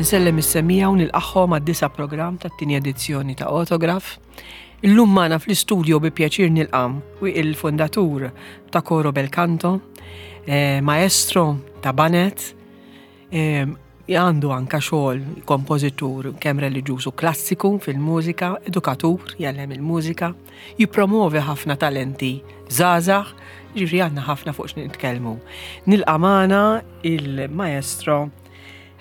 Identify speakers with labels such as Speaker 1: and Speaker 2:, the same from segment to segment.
Speaker 1: Insellem is-semija u nilqagħhom għad-disa' programm tat-tieni edizzjoni ta' Autograph. Illum magħna fl-istudio bi pjaċir nilqam u il-fundatur ta' Coro Bel Canto, eh, maestro ta' Banet, eh, għandu anka xogħol kompożitur kemm reliġjuż u klassiku fil-mużika, edukatur jgħallem il-mużika, jippromovi ħafna talenti żgħażagħ, ġifieri għandna ħafna fuq x'nitkellmu. Nilqa' magħna il-maestro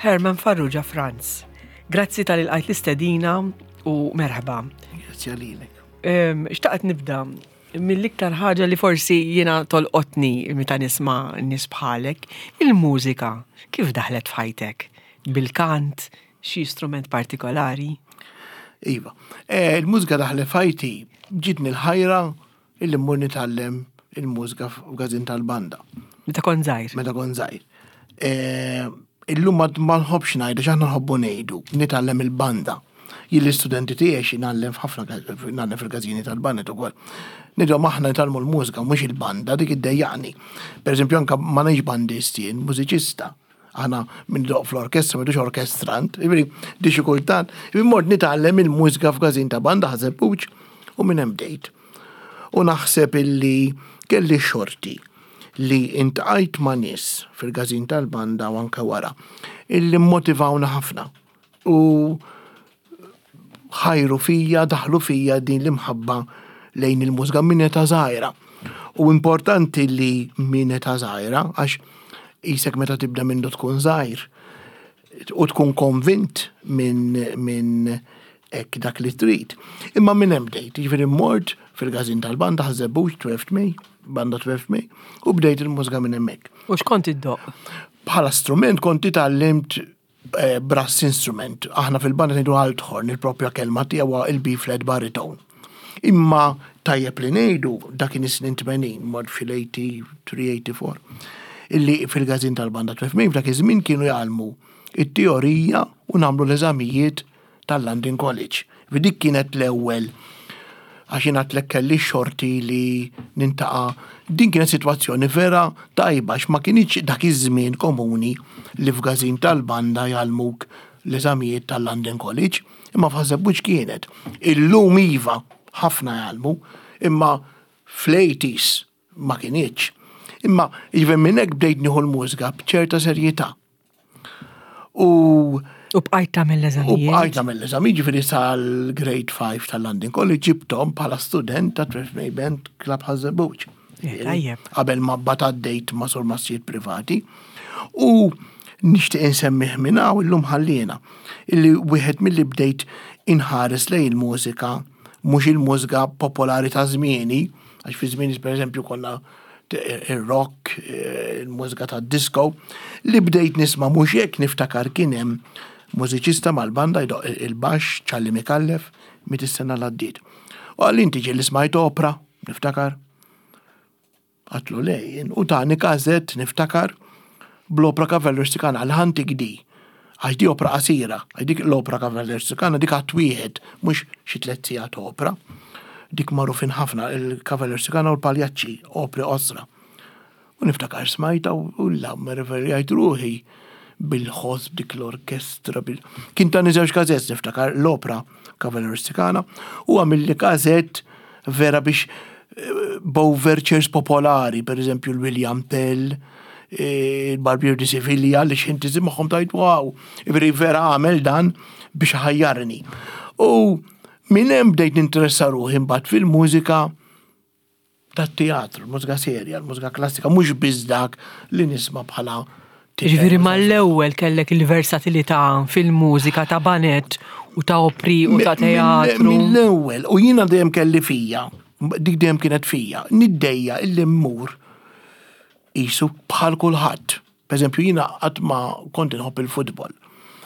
Speaker 1: Herman Farrugia Franz. Grazzi tal-ilqajt l-istedina u merħba.
Speaker 2: Grazzi għalilek.
Speaker 1: Xtaqt nibda mill-iktar ħaġa li forsi jiena tolqotni meta nisma' nies bħalek, il-mużika kif daħlet f'ħajtek? Bil-kant, xi strument partikolari?
Speaker 2: Iva, eh, il-mużika daħlet f'ħajti ġitni l-ħajra illi mmur nitgħallem il-mużika f'gazin tal-banda.
Speaker 1: Meta kont żgħir.
Speaker 2: Meta kont żgħir. Eh, illum ma nħobbx ngħidu x'aħna nħobbu ngħidu, nitgħallem il-banda. Jien l-istudenti tiegħi xi ngħallem f'ħafna ngħallem fil-każini tal-bandet ukoll. Nidhom aħna nitgħallmu l-mużika mhux il-banda dik iddejjaqni. Pereżempju anke ma ngħix bandist jien, mużiċista. Aħna minn doq fl-orkestra, m'għidux orkestrant, jiġifieri di xi kultant, jiġifieri mort nitgħallem il-mużika f'każin ta' banda Ħaż-Żebbuġ u minn hemm bdejt. U naħseb illi kelli xorti li intqajt ma' nies fil-każin tal-banda u anke wara illi mmotivawna ħafna u ħajru fija, daħlu fija din l-imħabba lejn il-mużika minn età żgħira. U importanti li minn età żgħira, għax isek meta tibda minn tkun żgħir u tkun konvint minn min hekk dak li trid. Imma minn hemm bdejt, jiġifieri mort fil-każin tal-banda Ħaż-Żebbuġ 12 May, banda 12 May, u bdejt il-mużika minn hemmhekk.
Speaker 1: U x'kont iddoqq?
Speaker 2: Bħala strument kont itgħallimt eh, brass instrument. Aħna fil-banda ngħidu althorn, il-propja kelma tiegħu il-B flat baritone. Imma tajjeb li ngħidu dak kien is-snin 80, mod fil-83, 84, illi fil-gazin tal-banda 12 f'dak iż-żmien kienu jgħallmu it-teorija u nagħmlu l-eżamijiet tal-London College. Dik kienet l-ewwel għax jien għadtlek kelli xorti li nintaqa' din kienet sitwazzjoni vera tajba għax ma kinitx dak iż-żmien komuni li f'gażin tal-banda jgħallmuk l-eżamijiet tal-London College, imma f'Ħaż-Żebbuġ kienet. Illum iva, ħafna jgħallmu, imma fl-80s ma kinitx. Imma jiġifieri minn hekk bdejt nieħu l-mużika b'ċerta serjetà.
Speaker 1: U U bqajt tagħmel l-eżamijiet.
Speaker 2: U bqajt tagħmel l-eżami, ġifieri sal-grade 5 tal-London College ġibthom bħala student ta' Tref May Band Club Ħaż-Żebbuġ.
Speaker 1: Eh, tajjeb.
Speaker 2: Qabel ma mbagħad għaddejt ma' surmassijiet privati. U nixtieq insemmih minn hawn illum ħalliena illi wieħed milli bdejt inħares lejn il-mużika mhux il-mużika popolari ta' żmieni, għax fi żmieni pereżempju konna il-rock, il-mużika ta' disco, li bdejt nisma' mhux hekk niftakar kien hemm mużiċista mal-banda jdoq il-baxx Ċalli Mikallef miet is-sena l-għaddiet. U qalli inti ġieli smajt opra, niftakar. Għatlu le jien, u tani kazett niftakar bl-opra Cavallerstikana għal-Ħantik di. Għax di opra qasira, għax dik l-opra Cavallerstikana dik għat wieħed, mhux xi tliet sigħat opra. Dik magħrufin ħafna, il-Cavallerstikana u l-Paljaċċi, opri qosra. U niftakar smajta u la meraviljajt ruħi bil-ħoss b'dik l-orkestra. Bil... Kien tani żewġ kazett niftakar l-opra Cavallerstikana u għamilli kazett vera biex eh, b'overtures popolari, per eżempju l-William Tell, eh, il-Barbier di Siviglia, li xinti magħhom tajt wow, veri vera għamel dan biex ħajjarni. U minn hemm bdejt ninteressa ruħi mbagħad fil-mużika tat-teatru, l-mużika serja, l-mużika klassika, mhux biss dak li nisma' bħala
Speaker 1: Ġifieri mal-ewwel kellek il-versatilità fil-mużika ta' banet u ta' opri u ta' teatru.
Speaker 2: Mill-ewwel, u jiena dejjem kelli fija, dik dejjem kienet fija, niddejja illi mmur qisu bħal kulħadd. Per eżempju, jiena qatt ma kont inħobb il-futbol.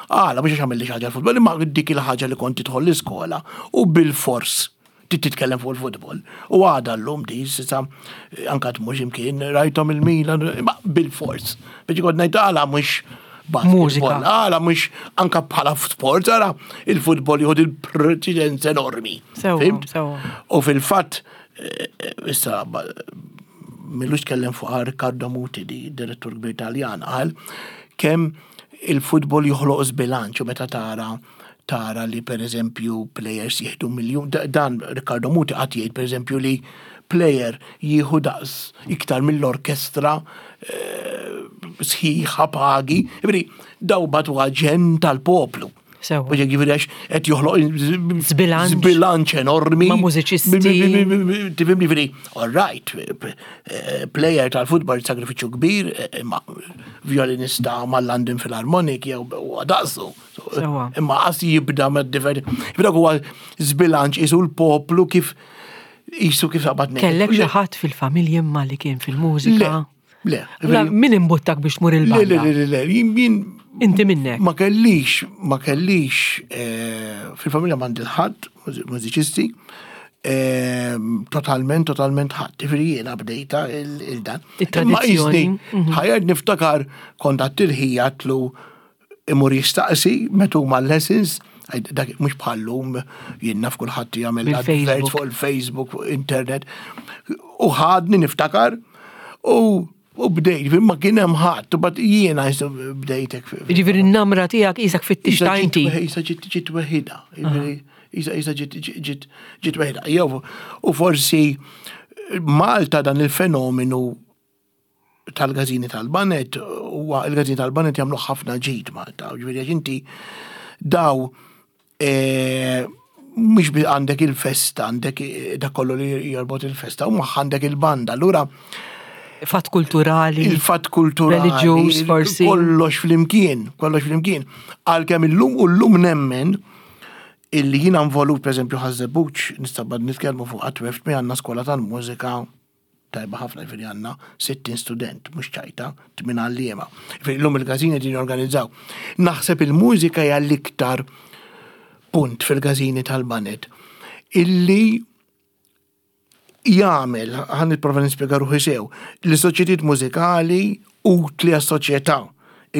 Speaker 2: Għala, mhux għax għamilli xi ħaġa l-futbol, imma dik il-ħaġa li kont tidħol l-iskola u bil-fors trid titkellem fuq il-futbol. U għada llum di, sisa anka tmur x'imkien, rajthom il-Milan, imma bil-fors. Biex kont ngħid għala mhux
Speaker 1: Mużika.
Speaker 2: Għala mhux anka bħala sport, għala il-futbol jieħu il-preċedenza enormi.
Speaker 1: Sewa.
Speaker 2: U fil-fatt, eh, eh, issa millux tkellem fuq Riccardo Muti di direttur kbir Taljan qal kemm Il-futbol joħloq żbilanċ u meta tara tara li per eżempju players jieħdu miljun, dan Riccardo Muti qatt jgħid per eżempju li player jieħu daqs iktar mill-orkestra eh, sħiħa pagi, jiġifieri daw batu ġen tal-poplu.
Speaker 1: Sewa.
Speaker 2: U ġifieri għax qed joħloq
Speaker 1: Zbilanċ.
Speaker 2: Zbilanċ enormi.
Speaker 1: Ma' mużiċisti.
Speaker 2: Tifhimni ġifieri, all right, eh, player tal-futbol sagrifiċċju kbir, eh, imma violinista mal-London Philharmonic jew huwa daqsu.
Speaker 1: Sewa.
Speaker 2: Imma qas jibda ma' differenti. Ġifieri dak huwa zbilanċ isu l-poplu kif isu kif taqbad ngħid.
Speaker 1: Kellek xi ħadd fil-familja imma li kien fil-mużika?
Speaker 2: Le,
Speaker 1: La, min imbuttak biex tmur
Speaker 2: Le, le,
Speaker 1: il-banda?
Speaker 2: le, le, le, jien jien
Speaker 1: Inti minnek.
Speaker 2: Ma kellix, ma kellix, eh, fil-familja m'għandi ħadd mużiċisti, eh, totalment, totalment ħadd. Tifri jiena bdejta il-dan.
Speaker 1: Il-tradizzjoni. Mhm.
Speaker 2: Ħajjed niftakar kont għattilħija għatlu imur jistaqsi meta huma lessons, għaj, dak mhux bħallum jien naf kulħadd jagħmel
Speaker 1: Bil-Facebook.
Speaker 2: adverts fuq il-Facebook, fuq internet. U ħadni niftakar u u bdejt, ma kien hemm ħadd, u bad jiena jisu bdejtek.
Speaker 1: Ġifieri n-namra tiegħek isek fit-tix ta' inti.
Speaker 2: Isa ġiet ġiet weħida. Isa isa ġiet ġiet ġiet weħida. Jew u forsi Malta dan il-fenomenu tal-gazini tal-banet huwa il-gazini tal-banet jagħmlu ħafna ġid Malta. Ġifieri għax inti daw eh, mhux bi għandek il-festa, għandek eh, dak kollu li jorbot il-festa, u għandek il-banda. Allura
Speaker 1: Fatt kulturali.
Speaker 2: il-fatt kulturali.
Speaker 1: Reliġjuż, forsi.
Speaker 2: Kollox flimkien, kollox flimkien. Għalkemm illum u llum nemmen illi jiena involut, per eżempju, ħażebuċ, nista' bad nitkellmu fuq għatweft mi għandna skola tal-mużika tajba ħafna ġifieri għandna 60 student, mhux ċajta, tmien għalliema. Ġifieri llum il-każini qegħdin jorganizzaw. Naħseb il-mużika hija l-iktar punt fil-każini tal-banet illi jagħmel, ħan nipprova nispjega ruħi sew, li soċjetiet mużikali utli għas-soċjetà.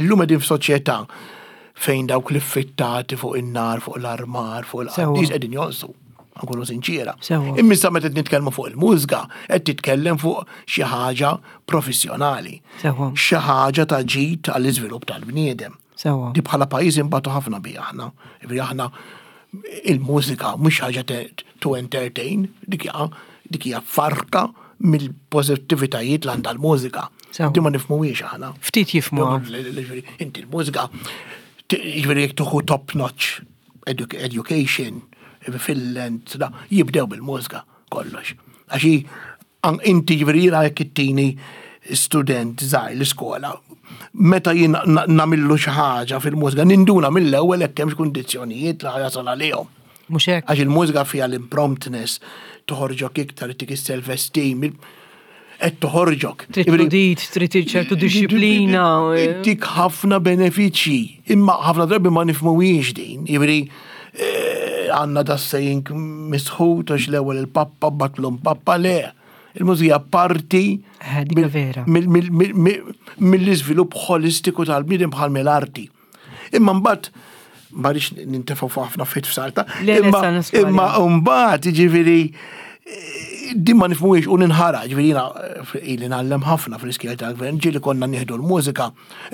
Speaker 2: Illum qegħdin f'soċjetà fejn dawk li fittati fuq in-nar, fuq l-armar, fuq
Speaker 1: Sewwa.
Speaker 2: il-qaddis qegħdin jonqsu. Nkunu sinċiera.
Speaker 1: Sewwa.
Speaker 2: Imma issa meta qed nitkellmu fuq il-mużika, qed titkellem fuq xi ħaġa professjonali.
Speaker 1: Sewwa.
Speaker 2: Xi ħaġa ta' ġid għall-iżvilupp tal-bniedem.
Speaker 1: Sewwa.
Speaker 2: Di bħala pajjiż imbagħtu ħafna bi aħna. Ġifieri aħna il-mużika mhux ħaġa te- to entertain, dik hija dik hija farka mill-pożittivitajiet l għandha l-mużika.
Speaker 1: Sewwa.
Speaker 2: Di ma nifhmuhiex aħna.
Speaker 1: Ftit jifhmuha.
Speaker 2: Ġifieri, Inti l-mużika, t- ġifieri jekk tuħu top notch edu- education fil-land, da, jibdew bil-mużika kollox. Għax hi, an- inti ġifieri jiena jekk ittini student żgħir l-iskola, meta jien na- nagħmillu xi ħaġa fil-mużika, ninduna mill-ewwel hekk hemmx kundizzjonijiet li ħajasal għalihom.
Speaker 1: Mhux hekk.
Speaker 2: Għax il-mużika fija l-impromptness, toħorġok iktar, tik is-self-esteem, il- qed toħorġok.
Speaker 1: Trid
Speaker 2: Ġifieri-
Speaker 1: tudit, trid ċertu disċiplina. eh.
Speaker 2: Dik ħafna benefiċċji, imma ħafna drabi ma nifhmuhiex din. Jiġifieri eh, għandna da saying misħut għax l-ewwel il-pappa batlum pappa le. Il-mużika parti
Speaker 1: Eh, dik
Speaker 2: mill-
Speaker 1: vera.
Speaker 2: mill- mill- mill- mill- mill-iżvilupp holistiku tal-bniedem bħal mill-arti. Imma mbagħad ma rridx nintefgħu fuq ħafna fit f'salta.
Speaker 1: Le, le,
Speaker 2: Imma
Speaker 1: sa nisparja.
Speaker 2: imma mbagħad jiġifieri eh, din ma nifhmuhiex u ninħara, ġifieri jiena eh, ili ngħallem ħafna fl-iskejjel tal-gvern, ġieli konna nieħdu l-mużika.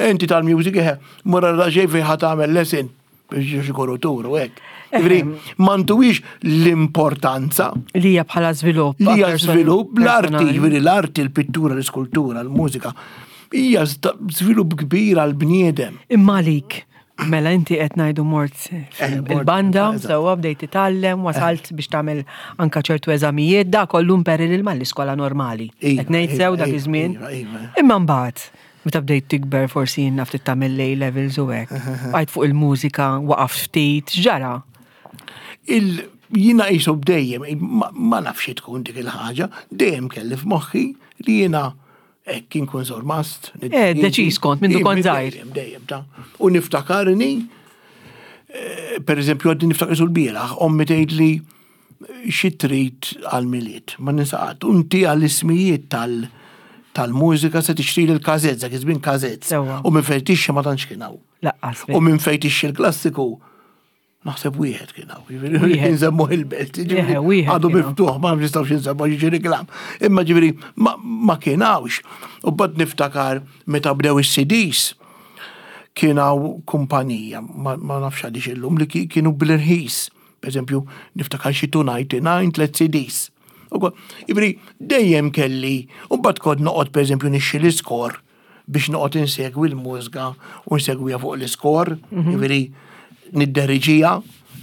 Speaker 2: Inti tal-music eħe, mura raġej fejn ħa tagħmel lesson biex ikunu turu hekk. Ġifieri m'għanduhiex l-importanza
Speaker 1: Li hija bħala żvilupp.
Speaker 2: li hija
Speaker 1: person-
Speaker 2: żvilupp l-arti,
Speaker 1: personali.
Speaker 2: ġifieri l-arti, l-pittura, l-iskultura, l-mużika, hija żvilupp kbir għall-bniedem.
Speaker 1: Imma għalik, mela inti qed ngħidu mort
Speaker 2: Eh, mort,
Speaker 1: il-banda,
Speaker 2: eżatt.
Speaker 1: sewwa bdejt titgħallem, wasalt biex tagħmel anka ċertu eżamijiet, da kollu imperil il l-iskola normali.
Speaker 2: Iva,
Speaker 1: Qed ngħid
Speaker 2: iva,
Speaker 1: sew dak
Speaker 2: iva,
Speaker 1: iż-żmien.
Speaker 2: iva, iva.
Speaker 1: Imma mbagħad, meta bdejt tikber forsi jien naf tagħmel A levels u hekk. Bqajt fuq il-mużika, waqaf ftit, x'ġara?
Speaker 2: Il jina jisu dejjem, ma, ma nafx tkun dik il-ħaġa, dejjem kelli f'moħħi li jiena hekk inkun sormast.
Speaker 1: Eh, deċiż kont, mindu kont żgħir.
Speaker 2: Dejjem, dejjem, ta' U niftakarni, eh, per eżempju, għaddi niftakar sul bieraħ, ommi tgħid li xi trid għal-miliet, ma ninsaqat, unti għall-ismijiet tal- tal-mużika se tixtri l-kazezza, dak iż-żmien kazezz.
Speaker 1: Sewwa.
Speaker 2: U minn fejn tixxi ma tantx kien hawn.
Speaker 1: Laqqas.
Speaker 2: U minn fejn tixxi l-klassiku, naħseb wieħed kien hawn. Jiġifieri
Speaker 1: Wieħed.
Speaker 2: Nżemmu il-belt. jiġifieri
Speaker 1: Eħe, wieħed
Speaker 2: Għadu
Speaker 1: kien hawn.
Speaker 2: miftuħ, ma nistgħux nżemmu jiġi reklam. Imma ġifieri ma ma kien hawnx. U bad niftakar meta bdew is-CDs. Kien hawn kumpanija, ma nafx għaliex illum, li kienu bl-irħis. Per eżempju, niftakar xi 299 tlet CDs. Jiġifieri dejjem kelli, u mbagħad kont noqgħod pereżempju nixxi l-iskor biex noqgħod insegwi l-mużika u nsegwiha fuq l-iskor, jiġifieri nidderiġija.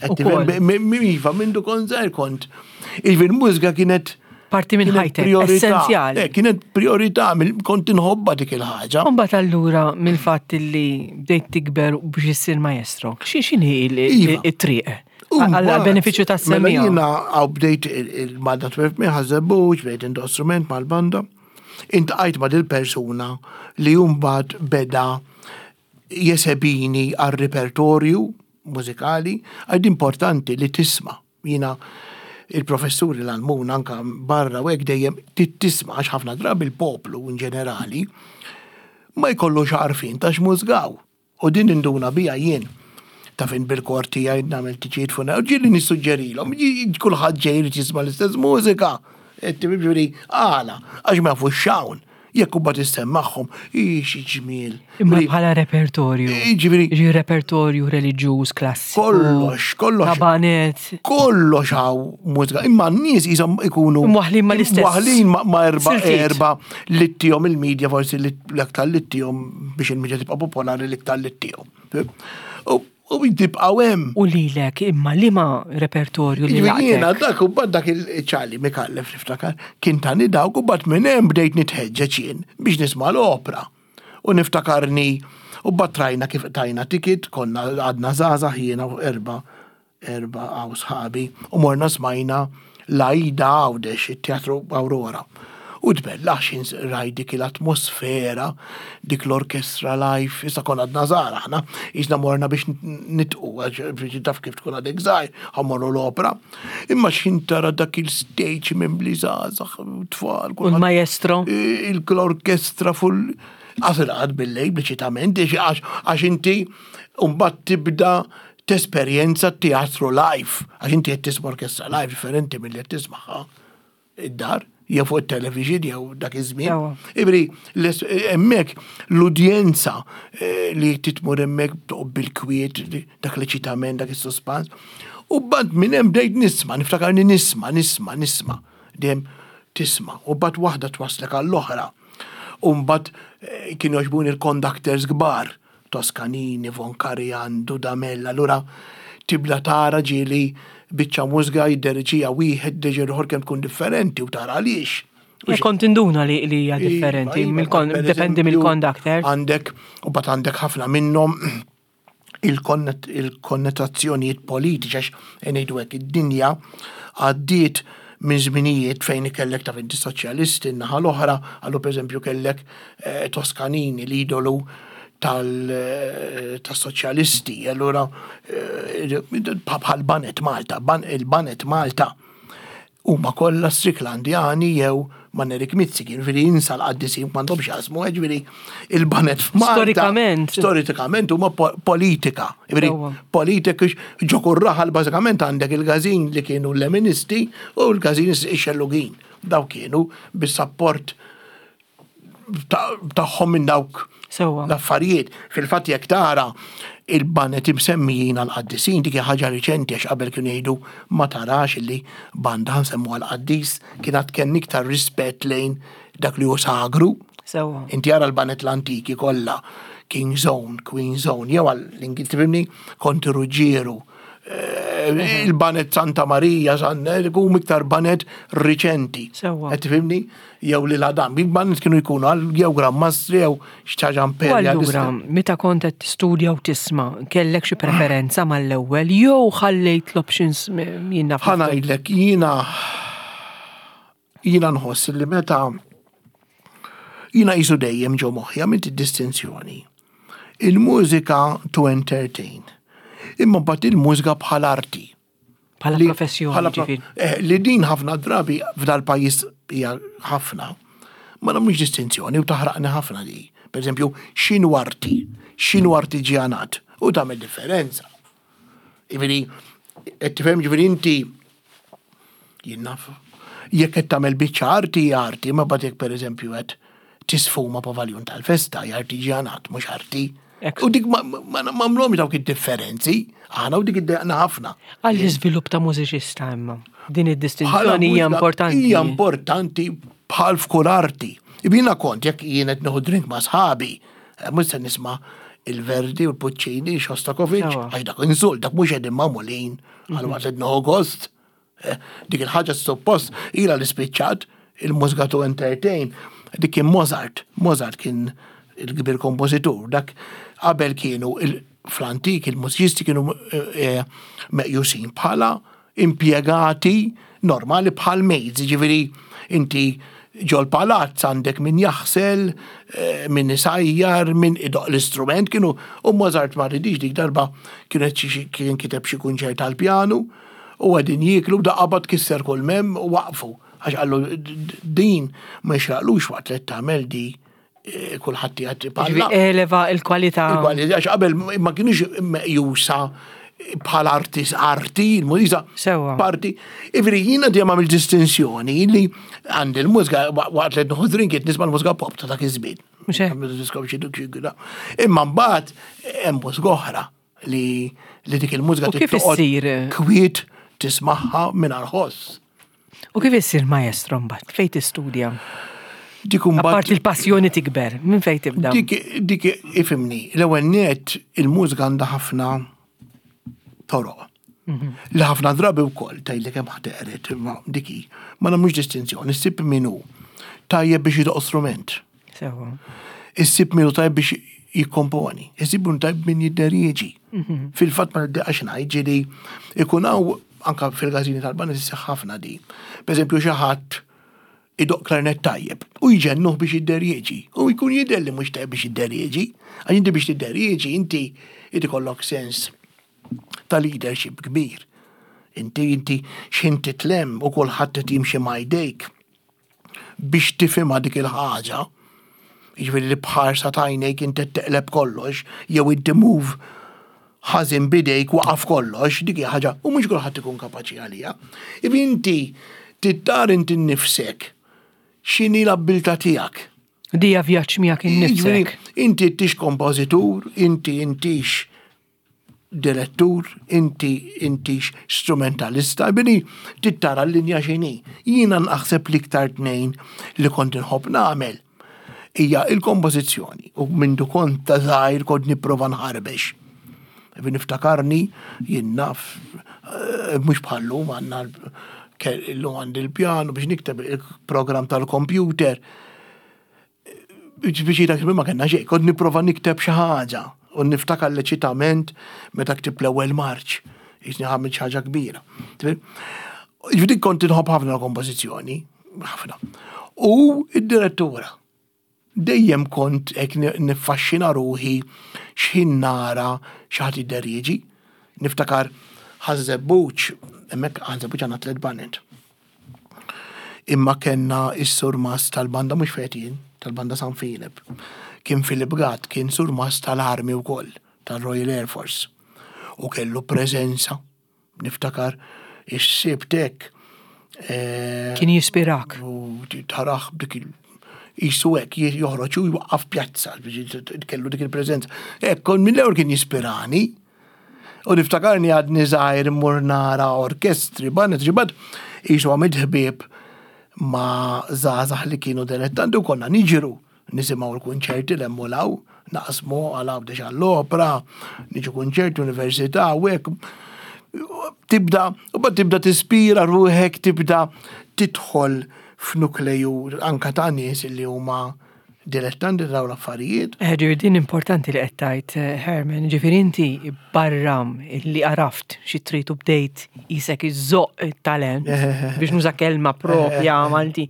Speaker 2: Iva, mindu kont żgħir kont. Jiġifieri l-mużika kienet
Speaker 1: Parti minn ħajtek, essenzjali.
Speaker 2: Eh, kienet priorità, kont inħobba dik il-ħaġa.
Speaker 1: Mbagħad allura mill-fatt li bdejt tikber biex issir maestro, x'inhi iva. it-triq? Għal benefiċċju tas
Speaker 2: Mela jiena għaw bdejt il-Malta 12 May ħażebbuġ, bdejt indoq strument mal-banda. Intqajt ma' dil-persuna li mbagħad beda jesebini għal repertorju mużikali, għad importanti li tisma'. Jiena il-professuri l-għallmuna anka barra u hekk dejjem tisma' għax ħafna drabi il-poplu in ġenerali ma jkollux għarfien ta' x'mużgaw. U din induna bija jien ta' fin bil-kor tiegħi nagħmel tiġijiet fuq u ġieli nissuġġerilhom, kulħadd ġej irid jisma' l-istess mużika. Ġifieri għala, għax ma jafux x'hawn. Jekk u bat issemmagħhom, xi ġmiel.
Speaker 1: Imma bħala repertorju.
Speaker 2: Ġifieri.
Speaker 1: Ġi repertorju reliġjuż klassiku.
Speaker 2: Kollox, kollox.
Speaker 1: Kabanet.
Speaker 2: Kollox hawn mużika. Imma n-nies jisom ikunu.
Speaker 1: Mwaħlin ma l-istess.
Speaker 2: Mwaħlin ma erba erba li ttihom il-medja forsi l-aktar li ttihom biex il-medja tibqa' popolari l-iktar li ttihom. U tibqgħu hemm.
Speaker 1: U lilek imma liema repertorju li
Speaker 2: Jiena dak u bad dak il-ċali Mikallef niftakar kien tani dawk u bad minn hemm bdejt nitħeġġeġ jien biex nisma' l-opra. U niftakarni u bad trajna kif tajna ticket, konna għadna żgħażagħ jiena u erba' erba' għaw sħabi u morna smajna l-Aida Għawdex, it-Teatru Aurora. U tbellax rajt dik l-atmosfera, dik l-orkestra live, issa konna għadna żgħar aħna, jisna morna biex nitqu, għax taf kif tkun għadek żgħir, ħammorru l-opera. Imma x'ħin tara dak il-stage mimli żgħażagħ, tfal.
Speaker 1: U l-maestro?
Speaker 2: L-orkestra full Għasel għad bil-lejl, bliċitament, għax inti mbagħad tibda tesperjenza teatru live, għax inti qed tisma' orkestra live differenti milli qed tismagħha id-dar, jew fuq it-television jew dak iż-żmien. Ibri, hemmhekk l-udjenza eh, li titmur hemmhekk toqgħod bil-kwiet, dak l-eċitament, dak is-suspans. U bad minn hemm bdejt nisma', niftakarni nisma', nisma', nisma'. Dejjem tisma' u bad waħda twaslek għall-oħra. U mbagħad eh, kienu jogħġbuni l-conductors kbar Toscanini, Von Karajan, Dudamel, allura tibda tara ġieli biċċa mużika jidderiġiha wieħed, deġi l-ieħor kemm tkun differenti u tara għaliex.
Speaker 1: Kont induna li hija iva, differenti, iva, dependi mill-conductor.
Speaker 2: Għandek, u bat għandek ħafna minnhom il-konnetazzjonijiet politiċi għax ngħidu hekk id-dinja għaddiet minn żminijiet fejn kellek ta' inti soċjalisti n-naħa l-oħra, għallu pereżempju kellek eh, Toscanini l-idolu eh, tas-soċjalisti, allura eh, bħal Banet Malta, il-Banet Malta huma kollha Stricklandjani jew ma' Nerik Mizzi, ġifieri insa l-qaddisin m'għandhomx jaqsmu, ġifieri il-banet f'Malta.
Speaker 1: Storikament.
Speaker 2: Storikament huma politika. Ġifieri politika ġo kull raħal bażikament għandek il-każin li kienu l-leministi u l-każin ix-xellugin. Daw kienu bis-sapport tagħhom minn dawk l-affarijiet. Fil-fatt jekk tara il-banet imsemmijin għal-qaddisin dik ħaġa riċenti għax qabel kienu jgħidu ma tarax illi banda nsemmu għal-qaddis kien għad kien iktar rispett lejn dak li hu sagru.
Speaker 1: Sewwa.
Speaker 2: Inti ara l-banet l-antiki kollha, King Zone, Queen Zone, jew għall-Ingilterra, Konti Ruġġieru, eh, il-banet Santa Marija, San, eh, iktar banet riċenti.
Speaker 1: Sewwa.
Speaker 2: Qed tifhimni? Jew lil Adam. Il-bands kienu jkunu għal jew Gran Mastri jew xi ħaġa
Speaker 1: imperjalista. Allura, meta kont qed tistudja u tisma', kellek xi preferenza mal-ewwel jew ħallejt l-options jien naf.
Speaker 2: Ħa ngħidlek, jiena jiena nħoss li meta jiena qisu dejjem ġo moħħi għamilt id-distinzjoni. Il-mużika to entertain. Imma mbagħad il-mużika bħal arti.
Speaker 1: Bħala professjoni, ġifieri.
Speaker 2: Eh, li din ħafna drabi f'dal pajjiż hija ħafna. Ma nagħmlux distinzjoni u taħraqni ħafna di. Per eżempju, x'inhu arti, x'inhu artiġjanat u tagħmel differenza. Ġifieri, qed tifhem ġifieri inti jien naf jekk qed tagħmel biċċa arti hija arti, ma bagħad jekk pereżempju qed tisfuma pavaljun tal-festa hija artiġjanat mhux arti. U dik ma nagħmluhomx dawk id-differenzi, aħna u dik iddejqna ħafna.
Speaker 1: Għall-iżvilupp ta' mużiċista imma, din id-distinzjoni hija importanti.
Speaker 2: Hija importanti bħal f'kull arti. Jiena kont jekk jien qed nieħu drink ma' sħabi, eh, mhux se nisma' il-Verdi u l-Puccini, Shostakovich, għax dak insult, dak mhux qegħdin magħmulin għal mhm. waqt qed nieħu gost. Eh, dik il-ħaġa suppost ila li spiċċat il-mużika to entertain. Dik kien Mozart. Mozart kien il-kbir kompożitur. Dak qabel kienu fl-antik il-mużiċisti kienu eh, eh, meqjusin bħala impjegati normali bħal maids, ġifieri inti ġol palazz għandek min jaħsel, eh, min isajjar, min idoq l-istrument, kienu u Mozart ma ridix dik darba kienet kien kiteb xi kunċert tal-pjanu u għedin jieklu da qabad kisser kull mem u waqfu. Għax qallu din ma jxraqlux waqt li tagħmel di eh, kulħadd qiegħed
Speaker 1: ipalla. Eleva il-kwalità.
Speaker 2: Il-kwalità għax qabel ma kienux meqjusa bħal artis arti, il-mużika.
Speaker 1: Sewa.
Speaker 2: Parti. Ivri jiena dejjem għamil distinzjoni li għandi l-mużika waqt li nħu drink nisma' l-mużika pop ta' dak iż-żmien. Imma mbagħad hemm mużika oħra li li dik il-mużika
Speaker 1: U kif issir?
Speaker 2: Kwiet tismagħha mingħajr ħoss.
Speaker 1: U kif issir maestro mbagħad? Fejn tistudja?
Speaker 2: Dik imbagħad.
Speaker 1: Apparti l-passjoni tikber, minn fejn tibda?
Speaker 2: Dik dik ifimni, l-ewwel net il-mużika għandha ħafna toroq. Mhm. Li ħafna drabi wkoll tgħidlek hemm ħadd imma dik ma nagħmlux distinzjoni, ssib min hu tajjeb biex jidoq strument.
Speaker 1: Sewa.
Speaker 2: Issib min hu tajjeb biex jikkomponi, issib min hu tajjeb min jidderieġi. Mhm. Fil-fatt ma niddeqax ngħid ġieli ikun hawn anka fil-każini tal-banda tisseħ ħafna di. Per eżempju xi ħadd idoq klarnet tajjeb u jġennuh biex jidderieġi u jkun jidher li mhux tajjeb biex jidderieġi. Għax inti biex tidderieġi inti inti kollok sens ta' leadership kbir. Inti inti x'ħin titlem u kulħadd qed jimxi ma' jdejk. biex tifhimha dik il-ħaġa, jiġifieri li b'ħarsa t'għajnejk inti qed teqleb kollox, jew inti move ħażin b'idejk waqaf kollox, dik hija ħaġa u mhux kulħadd ikun kapaċi għaliha. Jiġifieri inti trid tara inti nnifsek x'inhi l-abbiltà tiegħek.
Speaker 1: Dija vjaġġ miegħek innifsek.
Speaker 2: Inti intix kompożitur, inti intix direttur, inti intix strumentalista, bini tittara l-linja xini. Jiena naħseb l-iktar tnejn li kont inħobb nagħmel hija il-kompożizzjoni u mindu kont ta' żgħir kont nipprova nħarbex. Niftakarni jien naf eh, mhux bħallum għandna illum għandi l-pjanu biex nikteb il-programm tal-kompjuter. Biex dak ma kellna xejn, kont nipprova nikteb xi ħaġa u niftakar l-eċitament meta ktibt l-ewwel marċ, jisni ħamil xi ħaġa kbira. Ġifieri kont inħobb ħafna l-kompożizzjoni, ħafna. U id-direttura. Dejjem kont hekk niffaxxina ruħi x'ħin nara xi ħadd jidderieġi. Niftakar Ħaż-Żebbuġ, hemmhekk Ħaż-Żebbuġ għandna tliet baned. Imma kellna s-surmast tal-banda mhux fejn jien, tal-banda San Filip. Kien Philip Gatt, kien surmast tal-armi wkoll, tal-Royal Air Force. U kellu preżenza, niftakar is-sibt hekk.
Speaker 1: Eh, kien jispirak.
Speaker 2: U taraħ dik il jisu hekk joħroġ u jwaqqaf pjazza, kellu dik il-preżenza. Hekk, mill-ewwel kien jispirani. U niftakarni għadni żgħir immur nara orkestri, baned, ġibad, jisu għamilt ħbieb ma' żgħażagħ li kienu dilettanti u konna niġru nisimgħu l-kunċerti l u law, naqsmu għal Għawdex għall-opra, niġu kunċerti università u hekk. Tibda, u bad tibda tispira ruħek, tibda tidħol f'nukleju anka ta' nies li huma dilettanti dawn l-affarijiet.
Speaker 1: Eh, ġifieri din importanti li qed tgħid, eh, Herman, ġifieri inti barra li għaraft xi trid u bdejt isek iżoq it-talent biex nuża kelma propja Malti.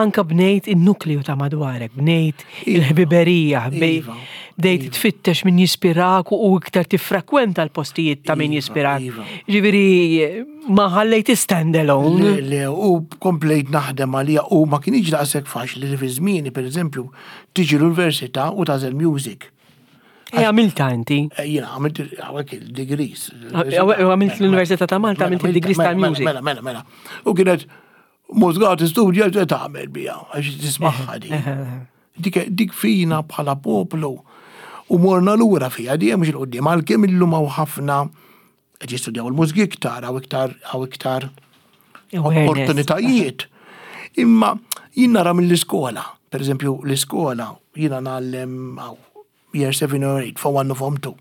Speaker 1: Anka bnejt in-nukleu ta' madwarek, bnejt iva. il-ħbiberija, iva. bdejt iva. tfittex min jispirak u iktar tiffrekwenta l-postijiet ta' min jispirak. Ġifieri Ma ħallejt stand alone.
Speaker 2: Le, le, u komplejt naħdem għalija u ma kienx daqshekk faċli li fi żmieni, pereżempju, tiġi l-università u tagħżel music.
Speaker 1: E għamilta inti?
Speaker 2: Eh, jiena għamilt hawnhekk il-degrees.
Speaker 1: Għamilt l-Università ta' Malta, għamilt il-degrees
Speaker 2: mela,
Speaker 1: tal-music.
Speaker 2: Mela, mela, mela. U kienet mużika tistudja x'se tagħmel biha, għax tismagħha di. Dik, dik fina bħala poplu. U morna lura fiha dejjem mhux 'il quddiem għalkemm illum hawn ħafna qed jistudjaw il-mużiki iktar hawn iktar hawn iktar opportunitajiet. Imma jien nara mill-iskola, per eżempju l-iskola jiena ngħallem year 7 or 8, form 1 u form 2.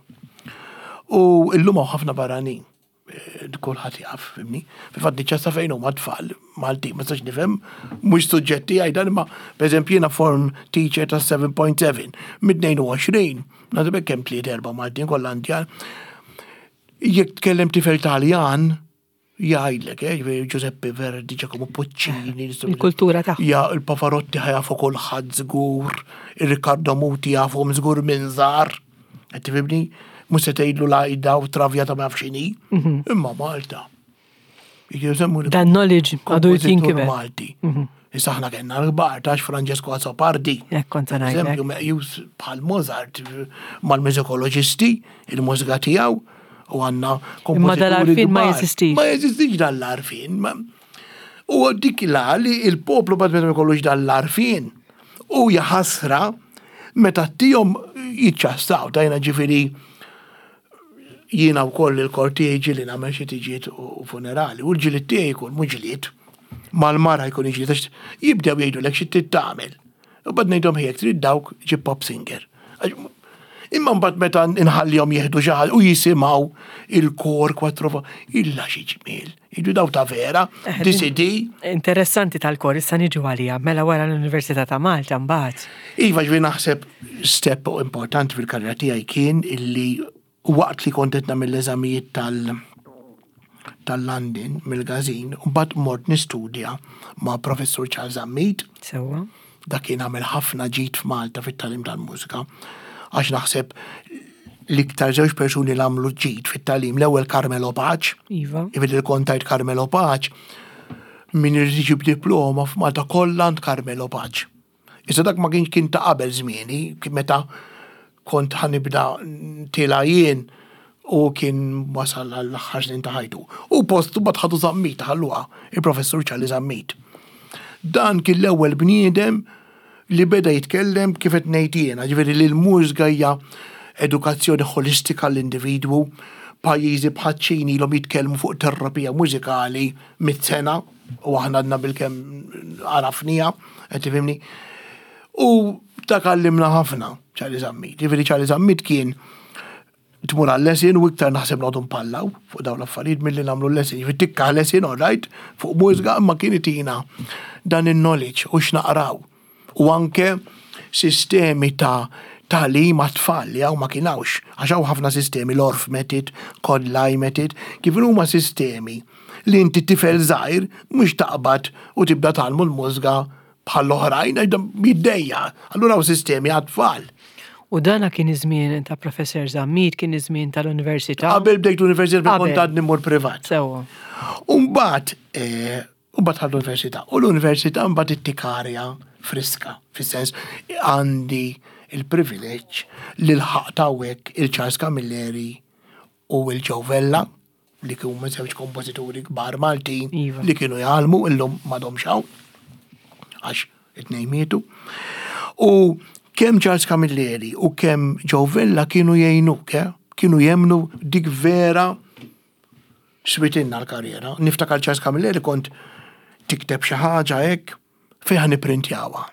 Speaker 2: U illum hawn ħafna barranin. Eh, kulħadd jaf, fimni. Fil-fatt niċċassa fejn huma tfal Malti, ma sax nifhem, mhux suġġetti għaj dan imma pereżempju jiena form teacher ta' 7.7 mid-22, nagħti kemm tliet erba' Maltin kollha Indjan. Jekk tkellem tifel Taljan, jgħidlek, eh, ġifieri Giuseppe Verdi, Giacomo Puccini,
Speaker 1: il-kultura tagħhom.
Speaker 2: Ja, il-Pavarotti ħajafu kulħadd żgur, il-Riccardo Muti jafhom żgur minn żgħar. Qed tifhimni? Mhux se tgħidlu l-għajda u travjata ma nafx x'inhi. Mhm. Imma Malta.
Speaker 1: Dan knowledge għadu jinkiber.
Speaker 2: Malti. Mhm. Issa aħna kellna l-kbar tax Francesco Azzopardi.
Speaker 1: Hekk kont
Speaker 2: Eżempju meqjus bħal Mozart mal-mużikoloġisti, il-mużika tiegħu u għandna
Speaker 1: kompożituri. Imma dal-arfin ma jeżistix.
Speaker 2: Ma jeżistix dal-arfin. U dik la li il-poplu bad meta ma jkollux dal-arfin. U jaħasra meta tihom jiċċassaw, tajna ġifieri jiena wkoll il-kor tiegħi ġieli nagħmel xi tiġiet u funerali, u l-ġilied tiegħi jkun mhux ġlied, mal-mara jkun iġlied għax jibdew jgħidulek xi trid tagħmel. U bad ngħidhom ħejjek trid dawk ġib pop singer. Imma mbagħad meta nħallihom jieħdu xi ħaġa u jisimgħu il-kor kwatro illa xi ġmiel. Jiġu daw ta' vera, eh, DCD.
Speaker 1: Interessanti tal-kor, issa niġu għalija, mela wara l-Università ta' Malta mbagħad.
Speaker 2: Iva ġvi naħseb step importanti fil-karriera tiegħi kien illi waqt li kont qed nagħmel l-eżamijiet tal- tal-London mill-Gazin, u mbagħad mort nistudja ma' Professur Charles Zammit.
Speaker 1: Sewwa.
Speaker 2: Dak kien għamel ħafna ġid f'Malta fit-tagħlim tal-mużika. Għax naħseb l-iktar żewġ persuni li għamlu ġid fit-tagħlim, l-ewwel Carmelo Paċ.
Speaker 1: Iva.
Speaker 2: Ivid il-kontajt Carmelo Paċ, min irid iġib diploma f'Malta kollha għand Carmelo Paċ. Issa dak ma kienx kien ta' qabel żmieni, meta kont ħanibda tila jien u kien wasal għall-aħħar snin ta' ħajtu. U postu bat ħadu Zammit ħalluha, il-professur Charlie Zammit. Dan kien l-ewwel bniedem li beda jitkellem kif qed ngħid jiena, ġifieri li l-mużika hija edukazzjoni ħolistika l-individwu, pajjiżi bħaċ-Ċin ilhom jitkellmu fuq terapija mużikali mit-sena u aħna għadna bilkemm għarafniha, qed tifhimni. U dak għallimna ħafna Charlie Zammit. Ġifieri Charlie Zammit kien tmur għal-lesin u iktar naħseb noqogħdu npallaw fuq dawn l-affarijiet milli nagħmlu l-lesin. Ġifieri tikka lesin all right fuq mużika imma kien itina dan in-knowledge u x'naqraw. U anke sistemi ta' tagħlim għat-tfal li hawn ma kien hawnx, għax hawn ħafna sistemi l-Orff method, Codlai method, kif huma sistemi li inti tifel żgħir mhux taqbad u tibda tgħallmu l-mużga bħall-oħrajn għax dan jiddejja. Allura hawn sistemi għat-tfal.
Speaker 1: U dana kien iż-żmien ta' Professor Zammit, kien iż-żmien tal-Università.
Speaker 2: Qabel bdejt l-Università kont għadni mmur privat.
Speaker 1: Sewwa.
Speaker 2: U mbagħad eh, u mbagħad ħadd l-Università. U l-Università mbagħad ittikarja friska, fis-sens għandi il-privileġġ li lħaqt hawnhekk il-Charles Camilleri u l-Joe Vella li kienu żewġ kompożituri kbar Maltin
Speaker 1: iva.
Speaker 2: li kienu jgħallmu illum m'għadhomx hawn għax it-tnejn mietu. U kemm Charles Camilleri u kemm Joe Vella kienu jgħinuk, eh? kienu jemnu dik vera switinna l-karriera. Niftakar Charles Camilleri kont tikteb xi ħaġa hekk fejn ħa nipprintjawha.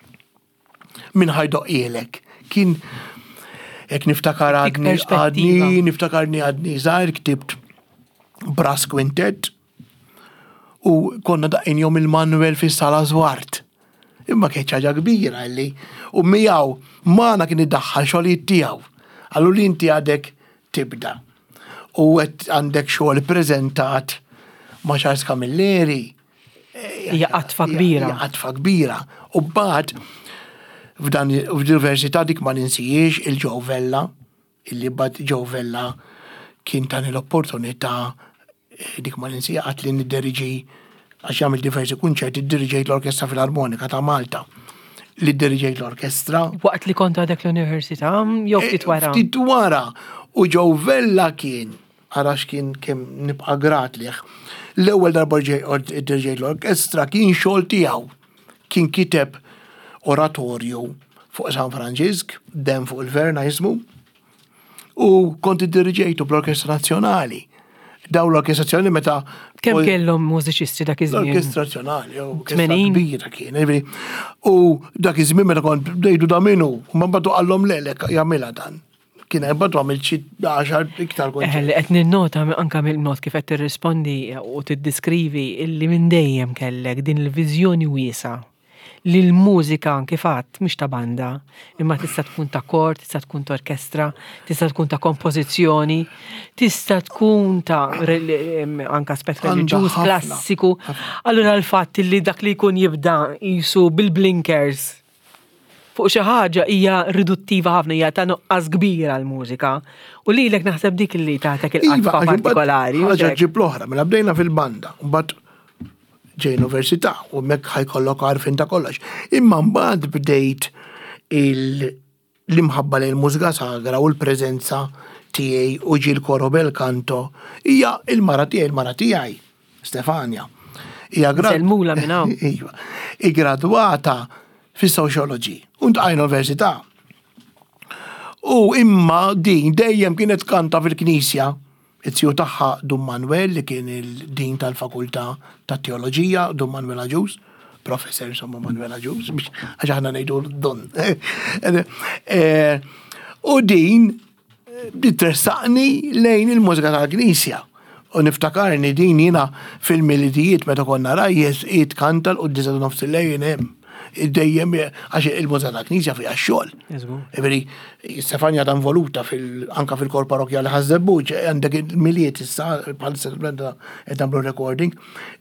Speaker 2: Min ħa jdoqqilek. Kien hekk niftakar għadni għadni niftakarni għadni żgħir ktibt brass quintet u konna daqqin jom il-Manuel fis-sala Zwart. Imma kienet ħaġa kbira li u miegħu magħna kien iddaħħal xogħlijiet tiegħu. Allu li inti għadek tibda. U qed għandek xogħol preżentat ma' Charles Camilleri
Speaker 1: Hija qatfa kbira.
Speaker 2: Hija qatfa kbira. U mbagħad f'dan f'diversità dik ma ninsijiex il-Joe Vella, illi bad Joe Vella kien tani l-opportunità eh, dik ma ninsija qatt li nidderiġi għax jagħmel diversi kunċerti diriġejt l-Orkestra Filarmonika ta' Malta li diriġejt l-orkestra.
Speaker 1: Waqt li kont għadek l-università, jew ftit wara?
Speaker 2: Eh, ftit wara. U Joe Vella kien Ara x'kien kemm nibqa' grat lih. L-ewwel darba diriġejt l-orkestra kien xogħol tiegħu. Kien kiteb oratorju fuq San Franġisk, Demm fuq il-Verna jismu. U kont iddiriġejtu bl-Orkestra Nazzjonali. Daw l-Orkestra Nazzjonali meta.
Speaker 1: Kemm kellhom mużiċisti dak iż-żmien?
Speaker 2: L-Orkestra Nazzjonali, orkestra kbira kien. U dak iż-żmien meta kont bdejtu da minnu, ma mbagħad qallhom lelek jagħmilha dan. Kien hemm bad għamil xi għaxar iktar
Speaker 1: kont. Eh, li qed ninnota anke mill-mod kif qed tirrispondi u tiddiskrivi illi minn dejjem kellek din il-viżjoni wiesa' li l-mużika kif għadt mhix ta' banda, imma tista' tkun ta' kor, tista' tkun ta' orkestra, tista' tkun ta' kompożizzjoni, tista' tkun ta' anke aspett reliġjuż, klassiku. Allura l-fatt li dak li jkun jibda jisu bil-blinkers fuq xi ħaġa hija riduttiva ħafna, hija ta' nuqqas kbir għall-mużika. U lilek naħseb dik li tagħtek
Speaker 2: Iva,
Speaker 1: il-qatfa
Speaker 2: għax imbagħad
Speaker 1: partikolari.
Speaker 2: Ħaġa ġib l-oħra, mela bdejna fil-banda, mbagħad ġej università u hemmhekk ħajkollok għarfien ta' kollox. Imma mbagħad bdejt l-imħabba lejn il-mużika sagra u l-preżenza tiegħi u ġie l-koro bel canto hija il-mara tiegħi, il-mara tiegħi, Stefania. Hija grad.
Speaker 1: Sellmula minn hawn.
Speaker 2: Iva. Igradwata fis-sociology u ntqajna università. U imma din dejjem kienet kanta fil-knisja. It-tiju tagħha Dun Manuel li kien il-din tal-fakultà tat-teoloġija, Dun Manuel Agius, professor insomma Manuel Agius, biex għax aħna ngħidu Dun. Eh, u din bdiet tressaqni lejn il-mużika tal-Knisja. U niftakarni din jiena fil-milidijiet meta konna rajjes hi tkanta l-quddiesa ta' nofs il-lejl hemm. Dejjem għax il-mużika tal-Knisja fiha x-xogħol. Jiġifieri Stefania ta' involuta fil anka fil-kor parrokkjali Ħaż-Żebbuġ, għandek il-milied issa bħalissa qed nagħmlu recording,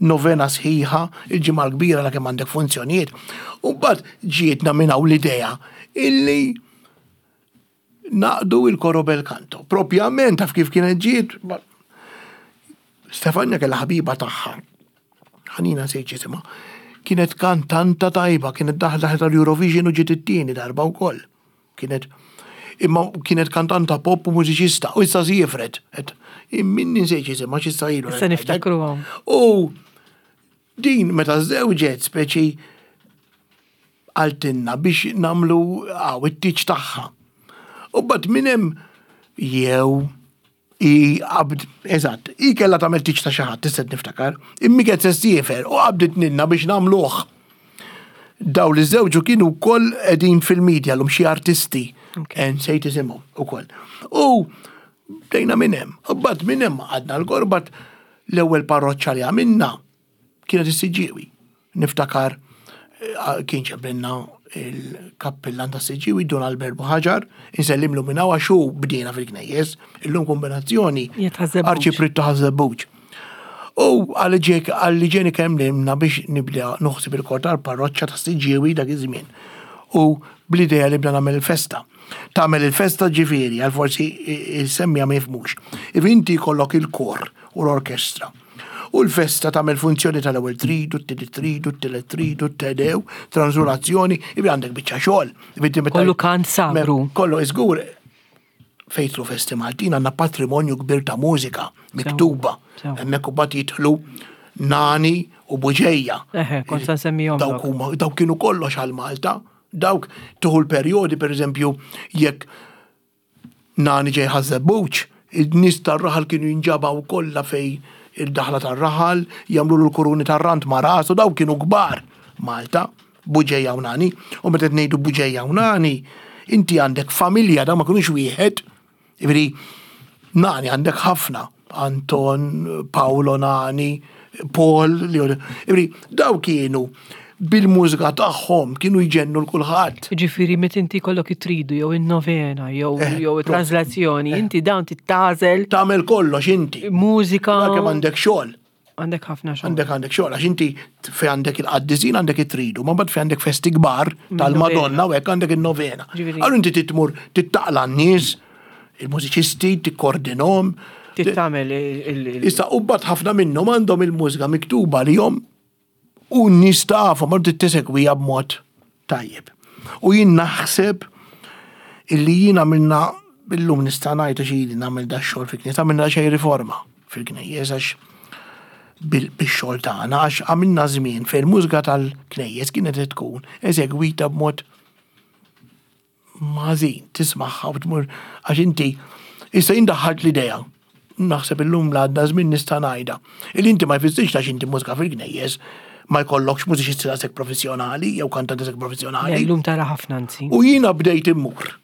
Speaker 2: novena sħiħa, il-Ġimgħa l-Kbira la kemm għandek funzjonijiet. U mbagħad ġietna minn hawn l-idea illi Naqdu il-koro bel canto. Propjament taf kif kienet ġiet, Stefania kellha ħabiba tagħha. Ħanina nsejt jisimha. Kienet kantanta tajba, kienet daħlet tal-Eurovision u ġiet it-tieni darba wkoll. Kienet imma kienet kantanta pop u mużiċista u issa siefret. Minni nsejt jisimha x'issa ilu.
Speaker 1: Issa niftakruhom.
Speaker 2: U din meta żewġet speċi qaltilna biex nagħmlu hawn it-tieġ tagħha. U mbagħad minn hemm jew i qabd, eżatt, i kellha tagħmel tieġ ta' xi ħadd, tista' niftakar, immi kienet se ssiefer u qabdit nilna biex nagħmluh. Daw li żewġu kienu wkoll qegħdin fil-media l xi artisti, nsejt isimhom ukoll. U bdejna minn hemm, u mbagħad minn hemm għadna l-korbat l-ewwel parroċċa li għamilna Kienet is-Siġġiewi. Niftakar eh, kien ċebrinna il-kappillan ta' Siġġiewi Dun Albert Buħaġar, insellimlu minn hawn għax hu bdiena fil-knejjes, illum kombinazzjoni arċiprit ta' Ħaż-Żebbuġ. U għalli ġeni kemm limna biex nibda noħsib il-kor tal-parroċċa ta' Siġġiewi dak iż-żmien. U bl-idea li bda nagħmel il-festa. Tagħmel il-festa ġifieri, għal forsi semmija ma jifhmux. Inti jkollok il-kor u l-orkestra. U l-festa tagħmel funzjoni tal-ewwel tridu, t-tieni tridu, t-tielet tridu, t-tedew, transulazzjoni, ibi għandek biċċa xogħol.
Speaker 1: Kollu kant sagru.
Speaker 2: Kollu iżgur fejtlu festi Maltin għandna patrimonju kbir ta' mużika miktuba. Hemmhekk u bat jidħlu Nani u Buġeja.
Speaker 1: Eħe, kont se nsemmihom.
Speaker 2: Dawk huma, dawk kienu kollox għal Malta. Dawk tuħu l-perjodi, per eżempju, jekk Nani ġej Ħaż-Żebbuġ, in-nies tar-raħal kienu jinġabgħu kollha fejn id-daħla tar-raħal, jagħmlulu l-kuruni tar-rand ma' rasu, dawk kienu kbar Malta, Buġeja u Nani. U meta qed ngħidu Buġeja u Nani, inti għandek familja, dawn ma kinux wieħed. Jiġifieri Nani għandek ħafna, Anton, Paolo Nani, Paul, jiġifieri daw kienu bil-mużika tagħhom kienu jġennu l kulħadd.
Speaker 1: Ġifieri meta inti jkollok it-tridu jew in-novena jew eh, jew it-translazzjoni, eh. inti dawn tittażel.
Speaker 2: Tagħmel kollox inti.
Speaker 1: Mużika.
Speaker 2: Kemm għandek xogħol.
Speaker 1: Għandek ħafna xogħol.
Speaker 2: Għandek għandek xogħol għax inti fi għandek il-qaddisin għandek it-tridu, ma mbagħad fi għandek festi kbar tal-Madonna u hekk għandek in-novena. Allura inti titmur tittaqla n-nies, il-mużiċisti, tikkordinhom.
Speaker 1: Tittamel il-
Speaker 2: Issa u mbagħad ħafna minnhom għandhom il-mużika miktuba li jom U n-nies tafhom, ma trid tesegwiha b'mod tajjeb. U jien naħseb illi jien għamilna illum nista' ngħid għax ili nagħmel da xogħol fil-knisja, għamilna xejn riforma fil-knejjes għax bix-xogħol tagħna għax għamilna żmien fejn il-mużika tal-knejjes kienet tkun eżegwita b'mod ħażin tismagħha u tmur għax inti Issa jien daħħalt l-idea, naħseb illum l-għadda żmien nista' ngħidha, illi inti ma jfissirx għax inti mużika fil-knejjes ma jkollokx mużiċisti daqshekk professjonali jew kantanti daqshekk professjonali.
Speaker 1: Illum tara ħafna anzi.
Speaker 2: U jiena bdejt immur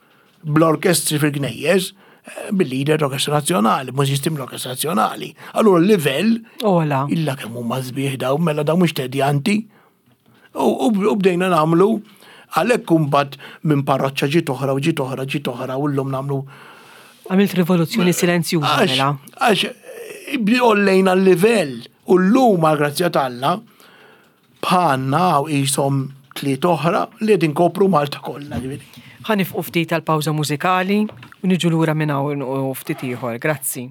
Speaker 2: bl-orkestri fil-knejjes eh, bil-leader l-Orkestra Nazzjonali, mużiċisti mill-Orkestra Nazzjonali. Allura l-livell
Speaker 1: Ola.
Speaker 2: illa kemm huma sbieħ daw, mela daw mhux tedjanti. U bdejna nagħmlu għalhekk imbagħad minn parroċċa ġiet oħra u ġiet oħra ġiet oħra u llum nagħmlu.
Speaker 1: Għamilt rivoluzzjoni silenzjuża mela.
Speaker 2: Għax għollejna l-livell u llum għal grazzja t'Alla bħalna hawn qishom tliet oħra li qegħdin inkopru Malta kollha. ġifieri.
Speaker 1: Ħa nifqu ftit għal pawża mużikali u niġu lura minn hawn u ftit ieħor. Grazzi.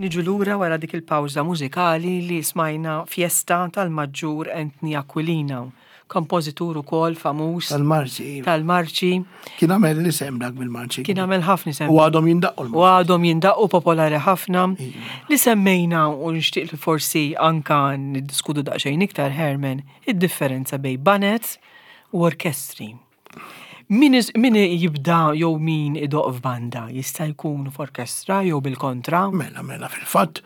Speaker 1: Niġu lura wara dik il-pawża mużikali li smajna Fiesta tal-Maġġur Anthony Aquilina, kompożitur ukoll famuż.
Speaker 2: Tal-marċi. Iva.
Speaker 1: Tal-marċi.
Speaker 2: Kien għamel l-isem dak bil-marċi.
Speaker 1: Kien għamel ħafna isem.
Speaker 2: U għadhom jindaqqu
Speaker 1: l U għadhom jindaqqu popolari ħafna. Iva. Li semmejna u nixtieq li forsi anka niddiskutu daqsxejn iktar Herman, id-differenza bejn baned u orkestri. Min, min jibda jew min idoq f'banda jista' jkun f'orkestra jew bil-kontra?
Speaker 2: Mela, mela, fil-fatt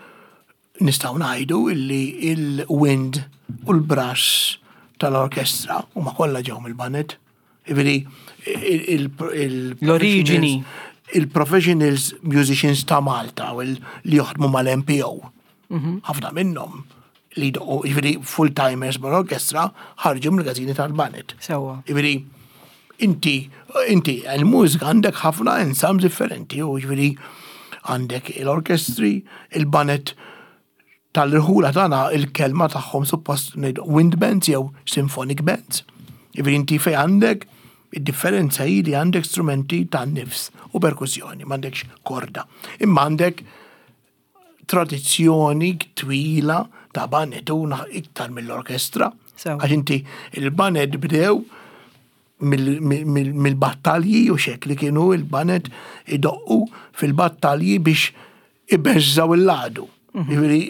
Speaker 2: nistgħu ngħidu illi il-wind u l-brass tal-orkestra huma kollha ġew mill-baned. Jiġifieri
Speaker 1: l-oriġini.
Speaker 2: Il-professionals musicians ta' Malta u li jaħdmu mal-MPO. Mhm. Ħafna minnhom li jdoqqu, jiġifieri full-timers mal-orkestra ħarġu mill-każini tal-baned.
Speaker 1: Sewwa.
Speaker 2: Jiġifieri inti, inti, il-mużika għandek ħafna ensembles differenti, u jiġifieri għandek l-orkestri, il-baned tal-irħula tagħna il-kelma tagħhom suppost ngħidu wind bands jew symphonic bands. Jiġifieri inti fejn għandek id-differenza hi li għandek strumenti tan-nifs u perkussjoni, m'għandekx korda. Imma għandek tradizzjoni twila ta' baned u iktar mill-orkestra. Għax inti il-baned bdew mill-battalji u xek li kienu il-baned idoqqu fil-battalji biex ibeżżaw il-ladu. Mhm. Jiġifieri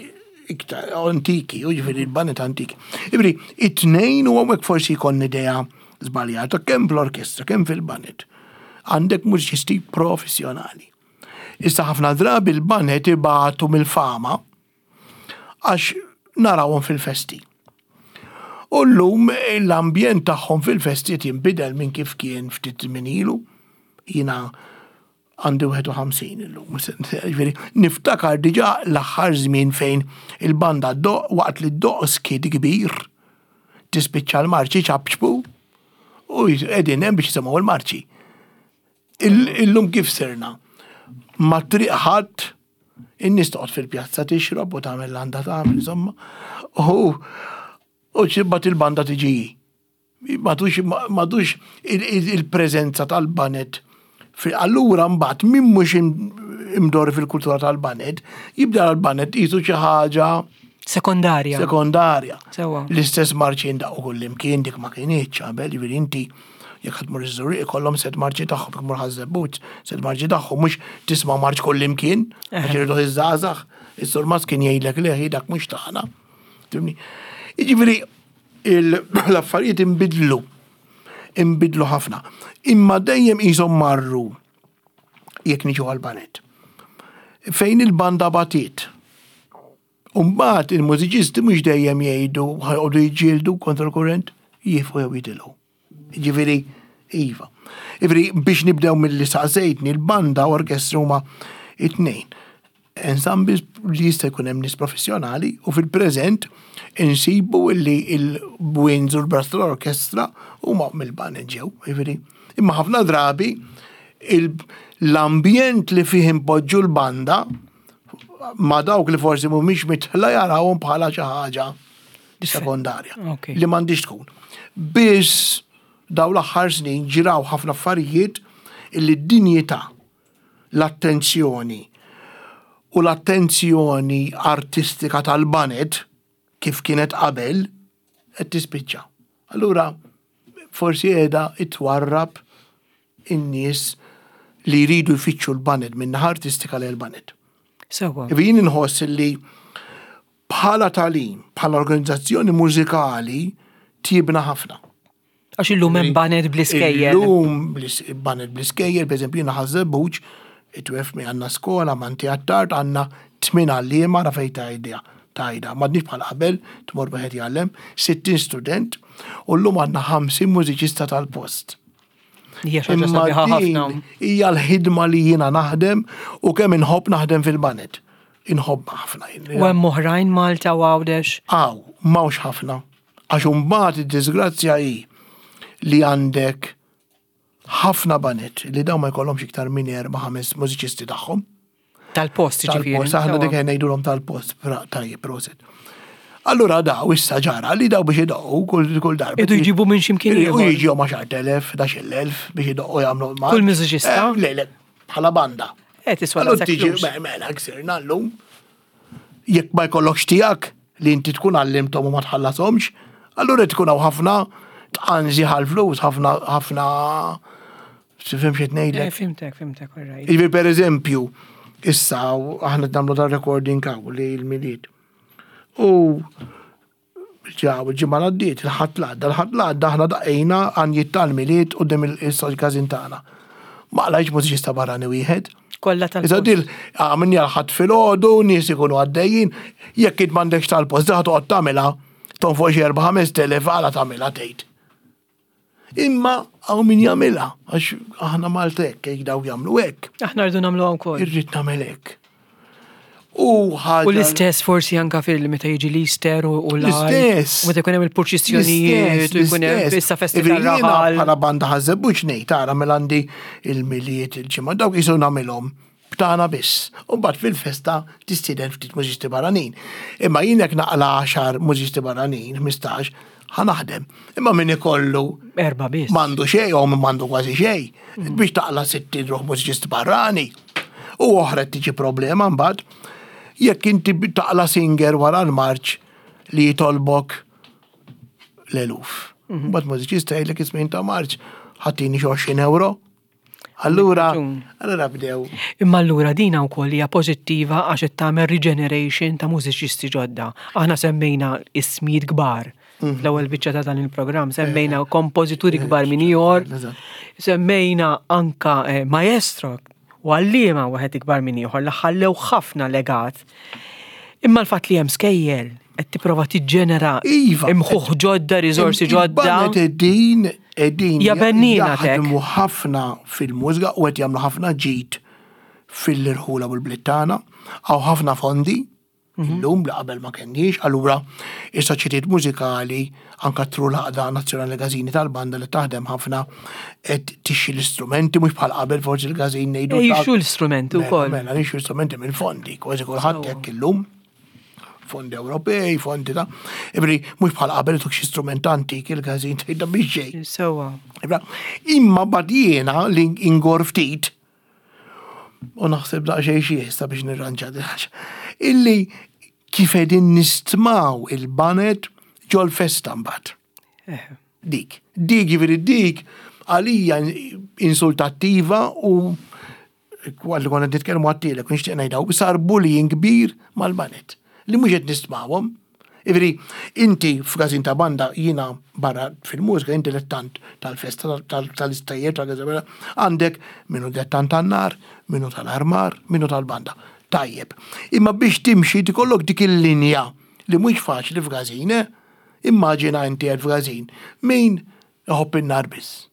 Speaker 2: iktar antiki, u ġifieri l-baned antiki. Ġifieri, it-tnejn u hawnhekk forsi jkollni idea żbaljata kemm fl-orkestra, kemm fil-baned. Għandek mużiċisti professjonali. Issa ħafna drabi l-baned ibatu mill-fama għax narawhom fil-festi. U llum l-ambjent tagħhom fil-festi qed jinbidel minn kif kien ftit żmien ilu. Jiena għandi 51 illum. Ġifieri, niftakar diġà l-aħħar żmien fejn il-banda ddoqq waqt li ddoqq skiet kbir tispiċċa l-marċi ċapċpu u qegħdin hemm biex jisimgħu l-marċi. Illum kif sirna? Ma triq ħadd in-nies toqgħod fil-pjazza tixrob u tagħmel l-għandha tagħmel insomma. U u ċibbat il-banda tiġi. Madux madux il-preżenza tal-baned. Allura mbagħad min mhux imdorri fil-kultura tal-baned, jibda l-baned qisu xi ħaġa
Speaker 1: Sekondarja.
Speaker 2: Sekondarja.
Speaker 1: Sewa.
Speaker 2: L-istess marċi jindaqu kullimkien dik ma kinitx qabel, jiġifieri inti jekk ħadd mur iż-Żurrieq ikollhom set marċi tagħhom, jekk mur Ħaż-Żebbuġ, set marċi tagħhom, mhux tisma' marċ kullimkien, għax iridu iż-żgħażagħ. Is-surmast kien jgħidlek le dak mhux tagħna. Tifhimni? Jiġifieri l-affarijiet inbidlu. Inbidlu ħafna. Imma dejjem qishom marru jekk niġu għall-baned. Fejn il-banda batiet. Umbagħad il-mużiċisti mhux dejjem jgħidu ħa joqogħdu jiġġieldu kontra l-kurrent, jieqfu jew jitilgħu. Jiġifieri, iva. Jiġifieri biex nibdew milli saqsejtni, l-banda u orkestra huma it-tnejn. Ensembles li jista' jkun hemm nies professjonali u fil-preżent insibu li l-winds u l-brass tal-orkestra huma mill-baned ġew, jiġifieri. Imma ħafna drabi l-ambjent li fih inpoġġu l-banda ma dawk li forsi mhumiex mitħla jarawhom bħala xi ħaġa sekondarja li m'għandix tkun. Biss daw l-aħħar snin ġraw ħafna affarijiet illi d-dinjità, l-attenzjoni u l-attenzjoni artistika tal-baned kif kienet qabel qed tispiċċa. Allura forsi qiegħda twarrab in-nies li jridu jfittxu l-baned minn naħa artistika lejn il-baned.
Speaker 1: Sewwa.
Speaker 2: Jien inħoss li bħala tagħlim, bħala organizzazzjoni mużikali tjibna ħafna.
Speaker 1: Għax illum hemm baned bl-iskejjel.
Speaker 2: Illum baned bl-iskejjel, pereżempju jiena Ħaż-Żebbuġ, it-twef mi għandna skola, Manti Attard, għandna tmien għalliema ra fejn tgħidha. Tgħidha, m'għadniex bħal qabel, tmur wieħed jgħallem, 60 student, u llum għandna 50 mużiċista tal-post.
Speaker 1: Hija xi ħaġa sabiħa ħafna.
Speaker 2: Hija l-ħidma li jiena naħdem u kemm inħobb naħdem fil-baned. Inħobb ħafna.
Speaker 1: U hemm oħrajn Malta u Għawdex?
Speaker 2: Aw, m'hawnx ħafna. Għax imbagħad id-diżgrazzja hi li għandek ħafna baned li dawn ma jkollhomx iktar minn erba' ħames mużiċisti tagħhom.
Speaker 1: Tal-post, ġifieri.
Speaker 2: Tal-post, aħna dik ngħidulhom tal-post, tajjeb, proset. Allura daw issa ġara li daw biex idoqqu kull kull darba.
Speaker 1: Idu jġibu minn ximkien
Speaker 2: ieħor. U jiġu ma' 10,000, 11,000 biex idoqqu jagħmlu
Speaker 1: ma. Kull mużiċista?
Speaker 2: Eh, le, le, bħala banda.
Speaker 1: Eh, tiswa
Speaker 2: Allura tiġi mela ksirna llum. Jekk ma jkollokx tiegħek li inti tkun għallimthom u ma tħallashomx, allura tkun hawn ħafna tqanżi ħal-flus, ħafna ħafna Tifhem xi ngħidlek?
Speaker 1: Eh, fimtek, fimtek, all right.
Speaker 2: Jiġifieri pereżempju, issa aħna nagħmlu dar-recording hawn li l-Milied. U ġaw il-ġimgħa l-għaddiet, il-ħadd l-għadda, il-ħadd l-għadda aħna daqqejna għanjiet tal-Milied quddiem il-każin tagħna. Ma qlajtx mużiċista barrani wieħed.
Speaker 1: Kollha tal
Speaker 2: Issa dil għamilni għal ħadd filgħodu, nies ikunu għaddejjin, jekk int m'għandekx tal-post, daħ toqgħod tagħmilha tonfoq xi 4-5 għala tagħmilha tgħid. Imma hawn min jagħmilha, għax aħna Malta hekk, jekk daw jagħmlu hekk.
Speaker 1: Aħna rridu nagħmluha wkoll.
Speaker 2: Irrid nagħmel hekk. U ħaġa.
Speaker 1: U l-istess forsi anka fil meta jiġi l-Easter u
Speaker 2: l L-istess.
Speaker 1: Meta jkun hemm il-purċissjonijiet u jkun hemm issa festi tal-raħal.
Speaker 2: Bħala banda ħażebbuġ ngħid tara mela għandi il-miliet il-ġimgħa dawk jisu nagħmilhom b'tagħna biss. U mbagħad fil-festa tistieden ftit mużiċisti barranin. Imma jien jekk naqla' għaxar mużiċisti barranin, 15, ħa naħdem. Imma min ikollu
Speaker 1: Erba' biss.
Speaker 2: M'għandu xejn jew min m'għandu kważi xejn. Mm. Biex taqla' 60 ruħ mużiċist barrani. U oħra tiġi problema mbagħad jekk inti taqla' singer wara l-marċ li jitolbok l-eluf. Mhm. Mbagħad mużiċista jgħidlek ismin ta' marċ ħattini xi 20 euro. Allura, allura bdew.
Speaker 1: Imma allura dina wkoll hija pożittiva għax qed tagħmel regeneration ta' mużiċisti ġodda. Aħna semmejna ismijiet kbar. Mhm. L-ewwel biċċa ta' dan il-programm semmejna eh. kompożituri kbar minn ieħor, semmejna anka eh, maestro u għalliema wieħed ikbar minn ieħor li ħallew ħafna legat. Imma l-fatt li hemm skejjel qed tipprova tiġġenera
Speaker 2: iva,
Speaker 1: imħuħ ġodda, riżorsi ġodda.
Speaker 2: Qegħdin qegħdin
Speaker 1: Jabennina tek.
Speaker 2: jaħdmu ħafna fil-mużika u qed jagħmlu ħafna ġid fil-irħula u l-bliet tagħna. Hawn ħafna fondi mhm. illum li qabel ma kenniex, allura is-soċjetiet mużikali anka tru l-għaqda nazzjonali gażini tal-banda li taħdem ħafna qed tixxi l-istrumenti mhux bħal qabel forsi l-gażin ngħidu.
Speaker 1: Jixxu l-istrumenti
Speaker 2: mela,
Speaker 1: wkoll.
Speaker 2: Mela, jixxu l-istrumenti mill-fondi, kważi kulħadd hekk illum fondi Ewropej, fondi ta' Ibri, mhux bħal qabel tuk xi strument antik il-każin tgħidha biex ġej.
Speaker 1: Sewa.
Speaker 2: Imma bad jiena li ingor ftit u naħseb daqsxejn xi issa biex nirranġa ħaġa. Illi kif qegħdin nistmaw il-banet ġol festa mbagħad. Eh. Dik. Dik jiġifieri dik għalija insultattiva u Għalli konna nitkellmu għattilek, nixtieq ngħidha, sar bullying kbir mal-banet li mhux qed nistmawhom. Ivri, inti f'gazin ta' banda jiena barra fil-mużika, inti lettant tal-festa, tal-istajjer, tal-gazabella, għandek minnu dettant tan-nar, minnu tal-armar, minnu tal-banda. Tajjeb. Imma biex timxi tikollok dik il-linja li mhux faċli f'gazin, eh? Immaġina inti qed f'gazin. Min iħobb in-nar biss?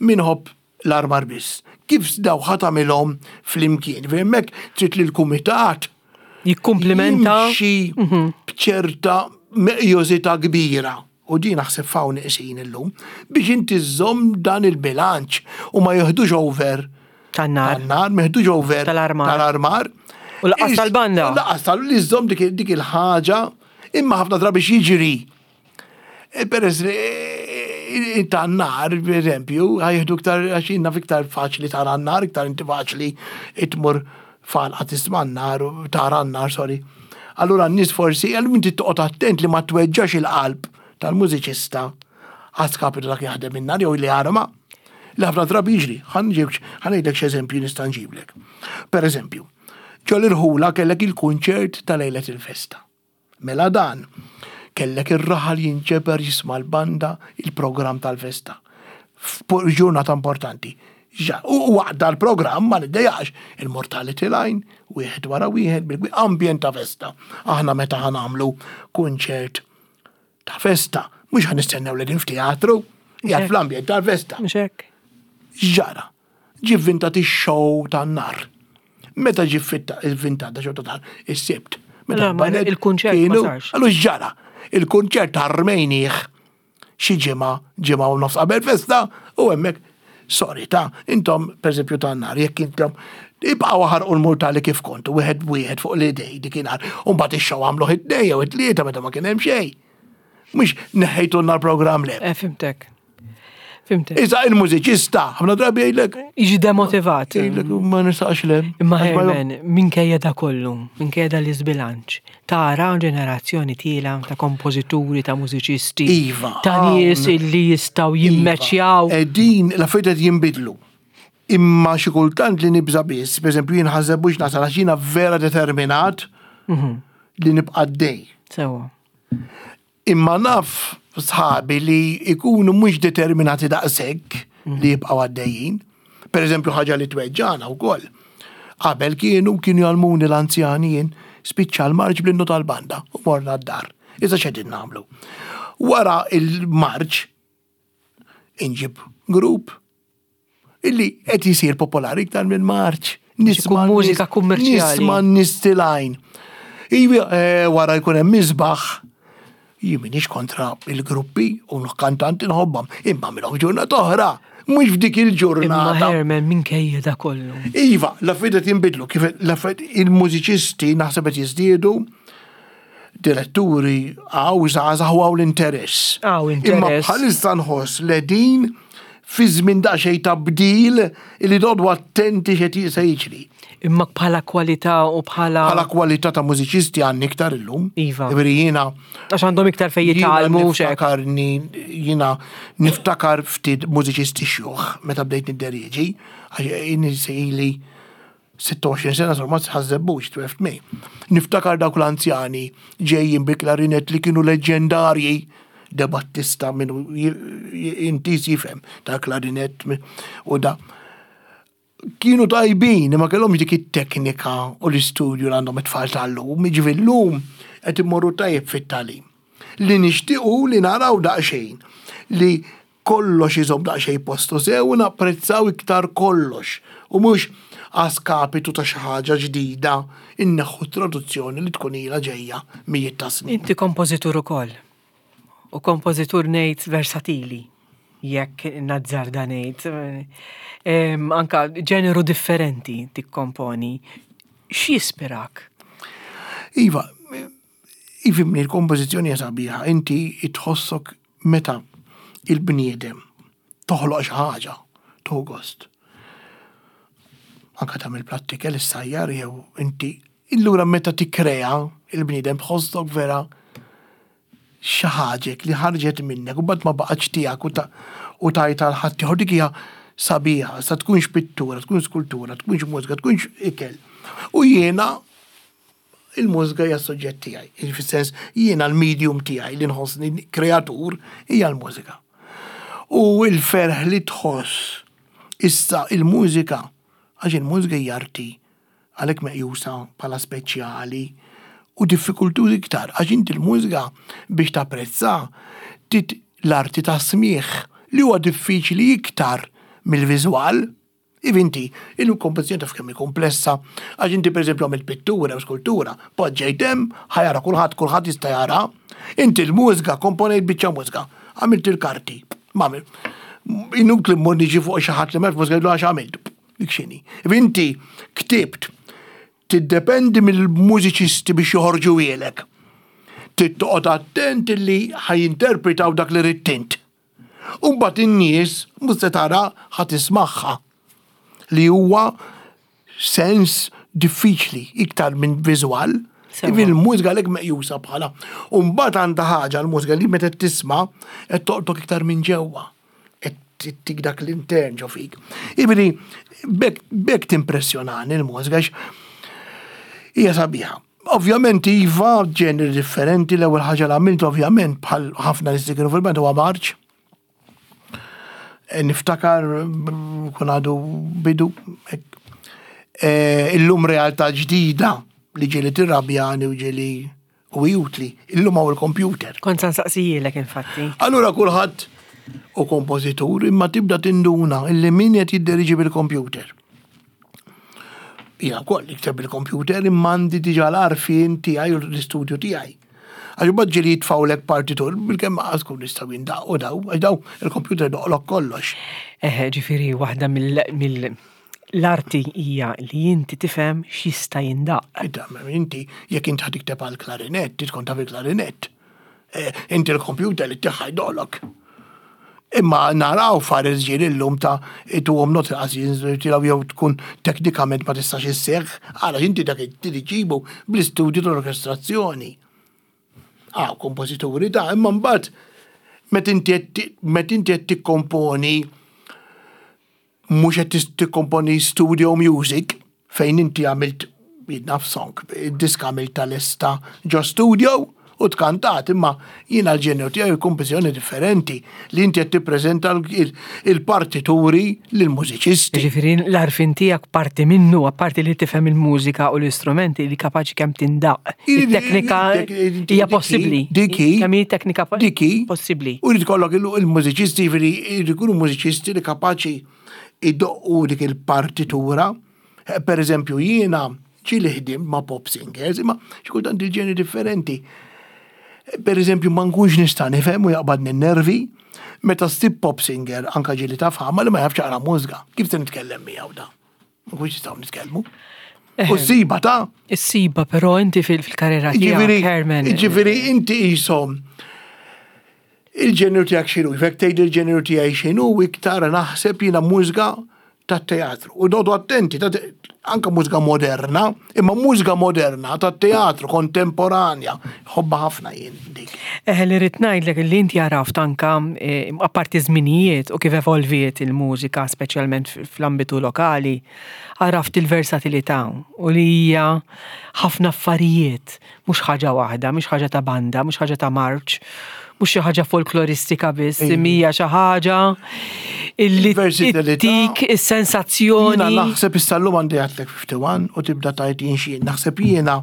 Speaker 2: Min iħobb l-armar biss. Kif daw ħa tagħmilhom flimkien? Hemmhekk trid li l-kumitat
Speaker 1: jikkumplimenta
Speaker 2: jimxi mhm. b'ċerta meqjożità kbira. U din naħseb fawn iqsin illum biex inti żżomm dan il-bilanċ u ma jieħdux over
Speaker 1: tan-nar.
Speaker 2: Tan-nar, ma jieħdux over
Speaker 1: tal-armar.
Speaker 2: Tal-armar.
Speaker 1: U laqas tal-banda.
Speaker 2: Laqas tal li żżomm dik il-ħaġa imma ħafna drabi jiġri E, peress li e, ta' nar, per eżempju, ħajħdu iktar, għax jien iktar faċli tara n-nar, iktar inti faċli itmur falqa tisma' n-nar, tara n-nar, sorry. Allura n-nies forsi, għal inti toqgħod attent li ma tweġġax il-qalb tal-mużiċista għaskapitu dak jaħdem in-nar jew li arma. Li ħafna drabi jiġri, ħanġibx, x'eżempju nista' nġiblek. Per eżempju, ġol irħula kellek il-kunċert ta' lejlet il-festa. Mela dan, kellek ir-raħal jinġeber jisma' l-banda il-programm tal-festa. F'ġurnata importanti. U waqt dal-programm ma niddejaqx, il-mortality line, wieħed wara wieħed, bil ambjent ta' festa. Aħna meta ħa nagħmlu kunċert ta' festa, mhux ħa nistennew li din f'teatru, qiegħed fl-ambjent tal-festa.
Speaker 1: Mhux hekk.
Speaker 2: X'ġara? Ġie vvintat ix-show tan-nar. Meta ġie vvintat da show tan-nar? Is-Sibt.
Speaker 1: Meta il-kunċert ma sarx.
Speaker 2: Allura x'ġara? Il-kunċert armejnieh xi ġimgħa, ġimgħa u nofs qabel festa u hemmhekk sorry ta' intom pereżempju tan-nar jekk intom ibqgħu ħarqu l-murtali kif kontu wieħed b'wieħed fuq l-idej dikinhar u mbagħad ix-show għamluh it-tnejn jew it-tlieta meta ma kien hemm xejn. Mhux neħħejtulna l-programm le.
Speaker 1: Eh, fimtek. Fimtek.
Speaker 2: Iżda il-mużiċista, ħafna drabi jgħidlek.
Speaker 1: Jiġi demotivat.
Speaker 2: Jgħidlek, ma nistax le.
Speaker 1: Imma Herman, minkejja da kollu, minkejja da l-iżbilanċ, tara ġenerazzjoni tiela ta' kompożituri, ta' mużiċisti.
Speaker 2: Iva.
Speaker 1: Ta' nies illi jistgħu
Speaker 2: iva.
Speaker 1: jimmeċjaw.
Speaker 2: Din l-affarijiet qed jinbidlu. Imma xi kultant li nibża biss, pereżempju jien ħażebux nasal għax jiena vera determinat mhm. li nibqa' dej.
Speaker 1: Sewa.
Speaker 2: Imma naf sħabi li jkunu mhux determinati daqshekk li jibqgħu għaddejjin. Per eżempju ħaġa li tweġġana wkoll. Qabel kienu kienu jgħallmuni l-anzjani jien spiċċa l-marċ bl-innu tal-banda u morna d-dar. Issa x'qegħdin nagħmlu? Wara il-marċ inġib grupp illi qed jisir popolari iktar minn marċ.
Speaker 1: Nisma' mużika kummerċjali.
Speaker 2: Nisma' nies tilgħin. Iva, eh, wara jkun hemm misbaħ. Jien m'iniex kontra il-gruppi u l-kantanti nħobbhom, imma minnhom ġurnata oħra, mhux f'dik il-ġurnata.
Speaker 1: Imma Herman minkejja da kollu.
Speaker 2: Iva, l-affarijiet qed jinbidlu, kif l-affarijiet il-mużiċisti naħseb qed jiżdiedu, diretturi għaw żgħażagħ u għaw l-interess.
Speaker 1: Għaw interess.
Speaker 2: Imma bħalissa nħoss li din. fi żmien daqsxejn ta' bdil li dodu attenti x'qed se jiġri.
Speaker 1: Imma bħala kwalità u bħala.
Speaker 2: Bħala kwalità ta' mużiċisti għandni iktar illum.
Speaker 1: Iva.
Speaker 2: Jiġifieri jiena.
Speaker 1: Għax għandhom iktar fejn jitgħallmu u xek.
Speaker 2: Niftakarni, jiena niftakar ftit mużiċisti xjuħ meta bdejt nidderieġi, għax jien ili 26 sena sur ma tħażżebbux 12 May. Niftakar dawk l-anzjani ġejjin bi klarinet li kienu leġġendarji De Battista minn intis jifhem ta' klarinet u da. Kienu tajbin, imma kellhomx dik it-teknika u l-istudju li għandhom it-tfal tal-lum, jiġifieri llum qed immorru tajjeb fit-tagħlim. Li nixtiequ li naraw daqsxejn li kollox iżomm daqsxejn postu sew u napprezzaw iktar kollox u mhux a skapitu ta' xi ħaġa ġdida inneħħu t-traduzzjoni li tkun ilha ġejja mijiet ta' snin.
Speaker 1: Inti kompożitur ukoll. U kompożitur ngħid versatili, jekk nazzarda ngħid. Anka ġeneru differenti tikkomponi. X'jispirak?
Speaker 2: Iva, ifimni l-kompożizzjoni hija sabiħa, inti tħossok meta il-bniedem toħloq xi ħaġa, tieħu gost. Anka tagħmel platt ikel issajjar jew inti Illura meta tikkrea il-bniedem tħossok vera xi ħaġek li ħarġet minnek u mbagħad ma baqgħetx tiegħek u u tajtha għal ħaddieħor dik hija sabiħa, sa tkunx pittura, tkunx skultura, tkunx mużika, tkunx ikel. U jiena il-mużika hija s-suġġett tiegħi, fis-sens jiena l-medium tiegħi li nħossni kreatur hija l-mużika. U l-ferħ li tħoss issa il-mużika, għax il-mużika hija arti għalhekk meqjusa bħala speċjali u diffikultuż iktar għax inti l-mużika biex tapprezza trid l-arti tas-smigħ li huwa diffiċli iktar mill-viżwal. Iv inti, il-kompożizzjoni taf kemm hi komplessa, għax inti pereżempju għamilt pittura jew skultura, poġġejt hemm, ħa jara kulħadd, kulħadd jista' jara. Inti l-mużika komponejt biċċa mużika, għamilt il-karti, ma inutli mmur niġi fuq xi ħadd li ma jafx mużika jgħidlu għax għamilt. Dik x'inhi. Inti ktibt tiddependi mill-mużiċisti biex joħorġu ilek. Trid toqgħod attent li ħajinterpretaw dak li ridt int. U mbagħad in-nies mhux se tara ħa tismagħha li huwa sens diffiċli iktar minn viżwal. Il-mużika għalhekk meqjusa bħala. U mbagħad għandha ħaġa l-mużika li meta tisma' qed toqtok iktar minn ġewwa. Qed tik dak l-intern ġo fik. Jiġifieri b'hekk timpressjonani l-mużika għax hija sabiħa. Ovvjament iva, ġeneri differenti, l-ewwel ħaġa li għamilt ovvjament bħal ħafna nies li kienu fil-band huwa marċ. E, niftakar kun għadu bidu. E, illum realtà ġdida li ġieli tirrabjani u ġieli u hi utli. Illum hawn il-computer.
Speaker 1: Kont se nsaqsijielek infatti.
Speaker 2: Allura kulħadd u kompożitur imma tibda tinduna illi min qed jidderiġi bil-computer. Jiena wkoll nikteb bil-computer imma għandi diġà l-għarfien tiegħi u l-istudju tiegħi. Għax imbagħad ġieli jitfgħulek partitur bilkemm qas tkun nistgħu jindaqqu daw, għax daw il-computer doqlok kollox.
Speaker 1: Eħe, ġifieri waħda mill L-arti hija li inti tifhem x'jista' jindaqq.
Speaker 2: Inti jekk inti ħa tikteb għal klarinett, trid tkun taf il-klarinett. Eh, inti l-kompjuter li tiħħa jdolok. Imma naraw fares ġieli llum ta' ituhom not inqas jinżiltilgħu jew tkun teknikament ma tistax isseħħ, għala inti dak iġibu bl-istudju tal-orkestrazzjoni. Ah, kompożituri ta' imma mbagħad meta inti qed tikkomponi mhux qed tikkomponi studio music fejn inti għamilt naf song, id-diska għamilt tal-esta ġo studio u tkantat, imma jiena l-ġenju tiegħi kompożizzjoni differenti li inti qed tippreżenta il-partituri lill-mużiċisti.
Speaker 1: Ġifieri l-għarfien tiegħek parti minnu, apparti li tifhem il-mużika u l-istrumenti li kapaċi kemm tindaq. Il-teknika hija possibbli.
Speaker 2: Diki.
Speaker 1: Kemm hi teknika possibbli.
Speaker 2: U jrid ikollok il-mużiċisti, jiġifieri jrid ikunu mużiċisti li kapaċi idoqqu dik il-partitura. Eh, per eżempju, jiena ġieli ħdim ma' pop singers, imma xi kultant il-ġeni differenti. Eh, per eżempju, ma nkunx nista' nifhem u jaqbadni nervi meta ssib pop singer anka ġieli taf ħama li ma jafx jaqra mużika. Kif se nitkellem miegħu da? Ma nkunx nistgħu nitkellmu. U s-siba ta'
Speaker 1: Is-siba, però inti fil-karriera tiegħek, Herman.
Speaker 2: Ġifieri inti qishom. Il-ġeneru tiegħek x'inhu? Jekk tgħid il-ġeneru tiegħi x'inhu, iktar naħseb jiena mużika tat-teatru. U noqogħdu attenti, anke mużika moderna, imma mużika moderna tat-teatru kontemporanja, ħobba ħafna jien dik.
Speaker 1: Eh, li rrid ngħidlek li inti għaraft anka eh, apparti żminijiet u kif evolviet il-mużika, speċjalment fl-ambitu lokali, għaraft il-versatilità u li hija ħafna affarijiet mhux ħaġa waħda, mhux ħaġa ta' banda, mhux ħaġa ta' marċ, mhux xi ħaġa folkloristika biss, hija xi ħaġa illi tik is-sensazzjoni.
Speaker 2: Jiena naħseb issa llum għandi għadlek 51 u tibda tajt jien xi naħseb jiena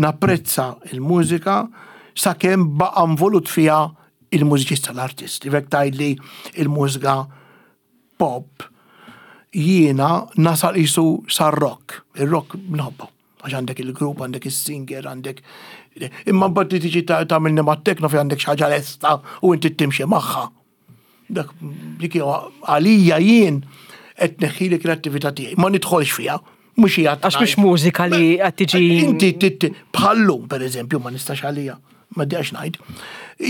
Speaker 2: napprezza il-mużika sakemm baqa' involut fiha il-mużiċista l-artist. Jekk tgħidli il-mużika pop jiena nasal qisu sar-rock. Ir-rock nħobbu. Għax għandek il-grupp, għandek is-singer, għandek. Imma mbagħad li tiġi tagħmilni mat-tekno fi għandek xi ħaġa lesta u inti timxi magħha. Dak dik għalija jien qed neħħili kreattività tiegħi. Ma nidħolx fiha, mhux hija.
Speaker 1: Għax mhux mużika li qed tiġi.
Speaker 2: Inti bħallum pereżempju ma nistax għalija, ma diqax ngħid.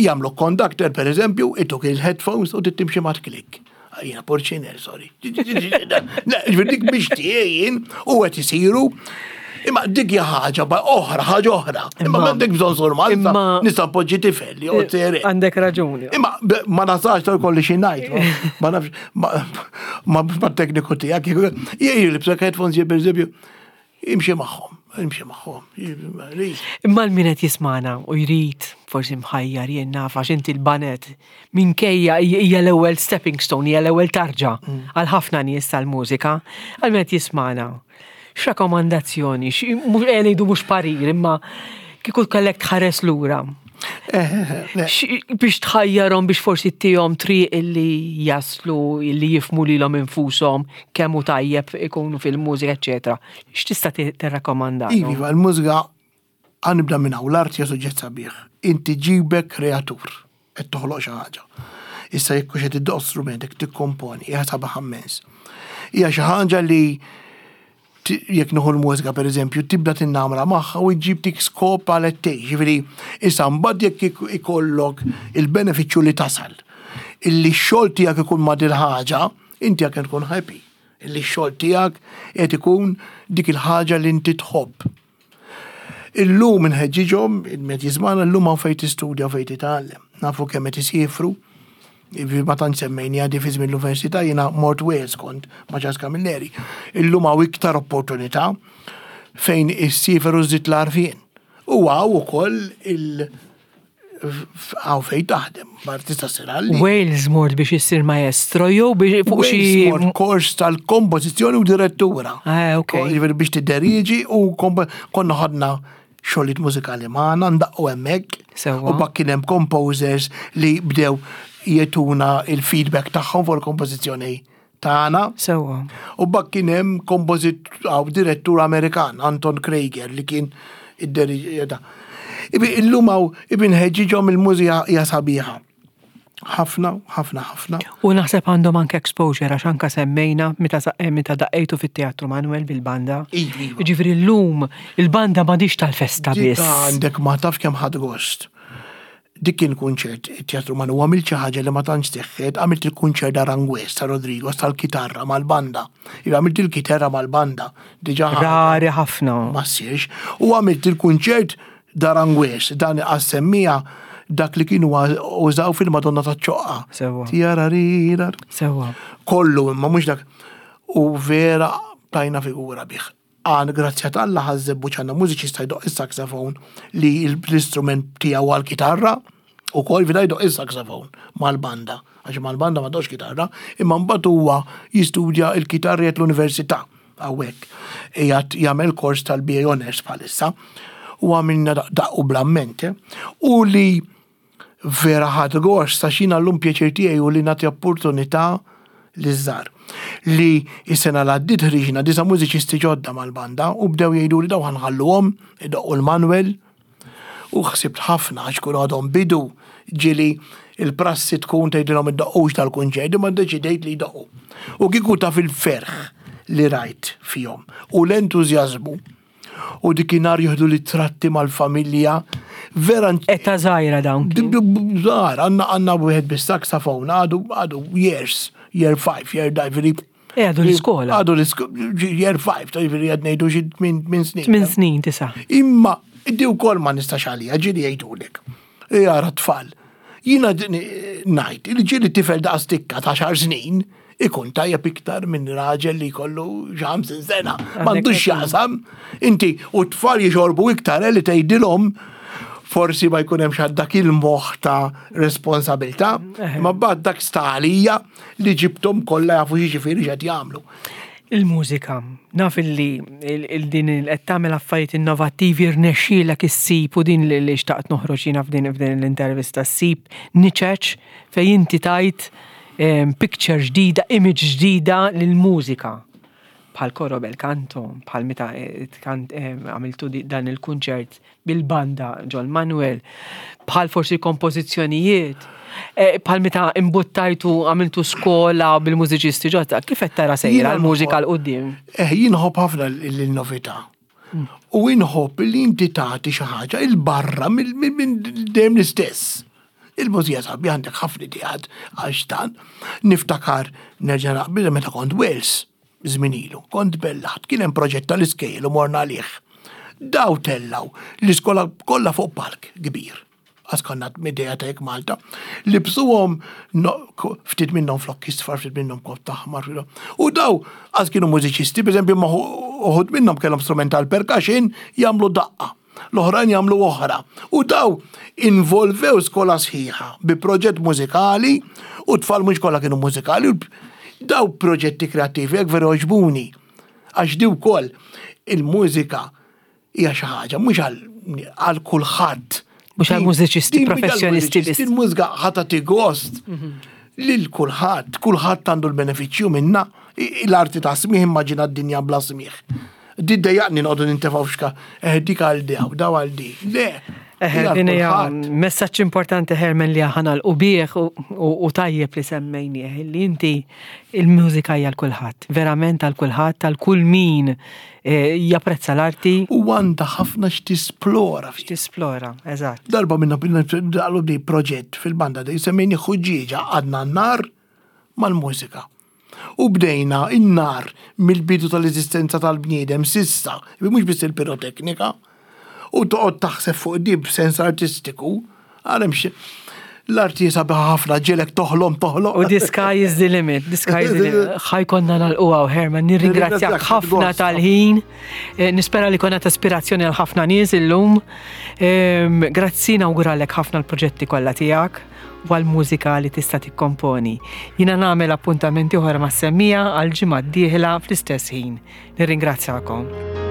Speaker 2: Jagħmlu conductor pereżempju, ituk il-headphones u timxi ma tklik. Jiena porċiner, sorry. Ġifieri dik biex tiegħi u qed isiru. Imma dik hija ħaġa oħra, ħaġa oħra. Imma m'għandek bżonn sur Malta, nista' npoġġi tifel jew eh, tere.
Speaker 1: Għandek raġuni.
Speaker 2: Imma ma nasax tal kolli xi ngħid. Ma nafx ma tekniku tiegħek. Jien libsek headphones jien pereżempju Imxi magħhom, imxi magħhom.
Speaker 1: Imma l-min qed jismana u jrid forsi mħajjar jien naf għax inti l-banet minkejja hija l-ewwel stepping stone, hija l-ewwel tarġa mm. għal ħafna nies tal-mużika, għal min qed jismana. X'rakkomandazzjoni, mhux eh, ngħidu mhux parir, imma kieku kellek tħares lura. Eh, eh, biex tħajjarhom biex forsi tihom triq illi jaslu, illi jifmu lilhom infushom kemm hu tajjeb ikunu fil-mużika, eċetera. X'tista' tirrakkomanda?
Speaker 2: Iva, l-mużika ħa nibda minn hawn, l-art hija suġġett sabiħ. Inti ġibek kreatur, qed toħloq xi ħaġa. Issa jekk hux qed iddoqq strument, jekk tikkomponi, hija sabiħ immens. Hija xi ħaġa li jekk nieħu l-mużika pereżempju, tibda tinnamra magħha u ġġib dik skop għal qed tgħix. Jiġifieri issa mbagħad jekk ikollok il-benefiċċju li tasal illi x-xogħol tiegħek ikun ma' dil-ħaġa, Inti għak tkun happy illi x-xogħol tiegħek qed ikun dik il-ħaġa li inti tħobb. Illum inħeġġiġhom, il-met jiżmana llum hawn fejn tistudja u fejn titgħallem. Nafu kemm qed isiefru, ma tantx semmejni għadi fi żmien l-università jiena mort Wales kont ma' Charles Camilleri. Illum hawn iktar opportunità fejn issiefer u żżid l-għarfien. U hawn ukoll il- Għaw fej taħdem, ma tista' ssir għalli.
Speaker 1: Wales mort biex issir maestro jew biex fuq xi.
Speaker 2: Mort kors tal-kompożizzjoni u direttura.
Speaker 1: Ah, ok.
Speaker 2: Jiġifieri biex tidderieġi u konna ħadna xogħlijiet mużikali magħna ndaqqu hemmhekk.
Speaker 1: Sewwa.
Speaker 2: U bak kien hemm composers li bdew jetuna il-feedback tagħhom fuq il-kompożizzjoni tagħna.
Speaker 1: Sewwa.
Speaker 2: U bak kien hemm kompożit għaw direttur Amerikan, Anton Krieger, li kien id-deriġi. Illum hawn ibin ħeġġiġhom il-mużika hija sabiħa. Ħafna, ħafna, ħafna.
Speaker 1: U naħseb għandhom anke exposure għax anke semmejna meta eh, meta daqqejtu fit-Teatru Manuel bil-banda.
Speaker 2: Iva, iva.
Speaker 1: Ġifieri llum il-banda m'għadix tal-festa biss.
Speaker 2: Għandek ma taf kemm ħadd gost. Dik kien kunċert, it-Teatru Manu, għamilt xi ħaġa li ma tantx seħħet, għamilt il-kunċert Aranjuez ta' Rodriguez tal-kitarra mal-banda. Iva għamilt il-kitarra mal-banda, diġà
Speaker 1: Rari ħafna.
Speaker 2: Ma ssirx. U għamilt il-kunċert d'Aranjuez, dan għas-semmija dak li kienu użaw fil-Madonna taċ-Ċoqqa.
Speaker 1: Sewwa.
Speaker 2: Tiararirar.
Speaker 1: Sewwa.
Speaker 2: Kollu imma mhux dak. U vera tajna figura bih. Għan grazzja t'Alla ħaż-żebbuġ għandna mużiċista jdoqq is-saxophone li l-istrument tiegħu huwa l-kitarra ukoll vida jdoqq is-saxophone mal-banda għax mal-banda ma doqx kitarra, imma mbagħad huwa jistudja l-kitarra qiegħed l-università hawnhekk. Qiegħed jagħmel kors tal-BA Honours bħalissa u għamilna daqqu bl-amment. Eh. U li Vera ħadt gost għax jiena llum pjaċir tiegħi hu li nagħti opportunità liż-żgħar. Li s-sena l għaddiet ħriġna disa' mużiċisti ġodda mal-banda u bdew jgħiduli dawn ħa nħalluhom idoqqu l-Manuel u ħsibt ħafna għax kienu għadhom bidu ġieli il-prassi tkun tgħidilhom iddoqqux dal-kunċert imma ddeċidejt li jdoqqu. U kieku taf il-ferħ li rajt fihom u l-entużjażmu. U dikinhar jieħdu ritratti mal-familja. Vera.
Speaker 1: Età żgħira dawn.
Speaker 2: Żgħar, għandna għandna wieħed bis-saxophone għadu għadu years, year 5, year 5,
Speaker 1: eh, għadu l-iskola.
Speaker 2: Għadu l-iskola, year 5, ta' ġifieri qed ngħidu xi 8 snin.
Speaker 1: 8 snin, tisa'.
Speaker 2: Imma di wkoll ma nistax għalija, ġieli jgħidulek. Jara tfal. Jiena ngħid, li ġieli tifel daqs tikka ta' xar snin, ikun tajjeb iktar minn raġel li jkollu xi sena. M'għandux x'jaqsam. Inti u t-tfal jixorbu iktar eh, li tgħidilhom forsi ma jkun hemm dak il-moħħ ta' responsabilità, eh. ma bad dak stalija li ġibtom kollha jafu x'jiġifieri x'qed jagħmlu.
Speaker 1: Il-mużika, naf illi din qed tagħmel affarijiet innovattivi rnexxielek issib u din li xtaqt noħroġ jiena f'din l-intervista ssib niċeċ fejn inti tajt picture ġdida, image ġdida lill-mużika. Bħal Coro Bel Canto, bħal meta eh, għamiltu dan il-kunċert bil-banda ġol Manuel, bħal forsi kompożizzjonijiet, eh, bħal meta imbuttajtu għamiltu skola bil-mużiċisti ġodda, kif qed tara sejra l-mużika 'l quddiem?
Speaker 2: Eh, jien nħobb ħafna l-novità. U inħobb li inti tagħti xi ħaġa il barra minn dejjem l-istess. Il-mużija sabi għandek ħafna ideat għax dan. Niftakar nerġa' naqbil meta kont Wales żmien ilu, kont bellaħt, kien hemm proġett tal-iskejjel u morna għalih. Daw tellaw l-iskola kollha fuq palk kbir. Għas konna idea ta' jekk Malta. Libsuhom ftit minnhom flokk isfar, ftit minnhom kott aħmar. U daw għas kienu mużiċisti, per eżempju, uħud minnhom kellhom strument tal-percussion jagħmlu daqqa. L-oħrajn jagħmlu oħra. U daw involvew skola sħiħa bi proġett mużikali u tfal mhux kollha kienu mużikali. Daw proġetti kreattivi hekk veru għoġbuni. Għax di wkoll il-mużika hija xi ħaġa mhux għal kulħadd.
Speaker 1: Mhux għal mużiċisti professjonisti biss.
Speaker 2: Il-mużika ħa tagħti gost mhm. lil kulħadd, kulħadd għandu l-benefiċċju minna. L-arti ta' smigħ immaġina d-dinja bla smigħ. Di dejjaqni noqogħdu nintefgħu f'xka, eh dik għal di, daw għal di. Le.
Speaker 1: Eh, din hija messaġġ importanti Herman li aħna l-qubieħ u tajjeb li semmejnieh li inti il-mużika hija l kulħadd, verament għal kulħadd, għal kull min eh, japprezza l-arti.
Speaker 2: U għandha ħafna x'tisplora.
Speaker 1: X'tisplora, eżatt.
Speaker 2: Darba minna għalu di proġett fil-banda di semmejni ħuġġieġa għadna n-nar mal-mużika. U bdejna in-nar mill-bidu tal-eżistenza tal-bniedem s'issa, mhux biss il-piroteknika, u toqgħod taħseb fuq di b'sens artistiku, għal hemm l-arti sabiħa ħafna ġelek toħlom toħlom.
Speaker 1: U the sky is the limit, the sky is the limit. Ħa jkollna nagħlqu hawn, Herman, nirringrazzjak ħafna tal-ħin. Eh, nispera li konna ta' ispirazzjoni għal ħafna nies illum. Ehm, grazzi nawguralek ħafna l-proġetti kollha tiegħek u għall-mużika li tista' tikkomponi. Jiena nagħmel appuntament ieħor mas-semmiegħa għall-ġimgħa d-dieħla fl-istess ħin. Nirringrazzjakom.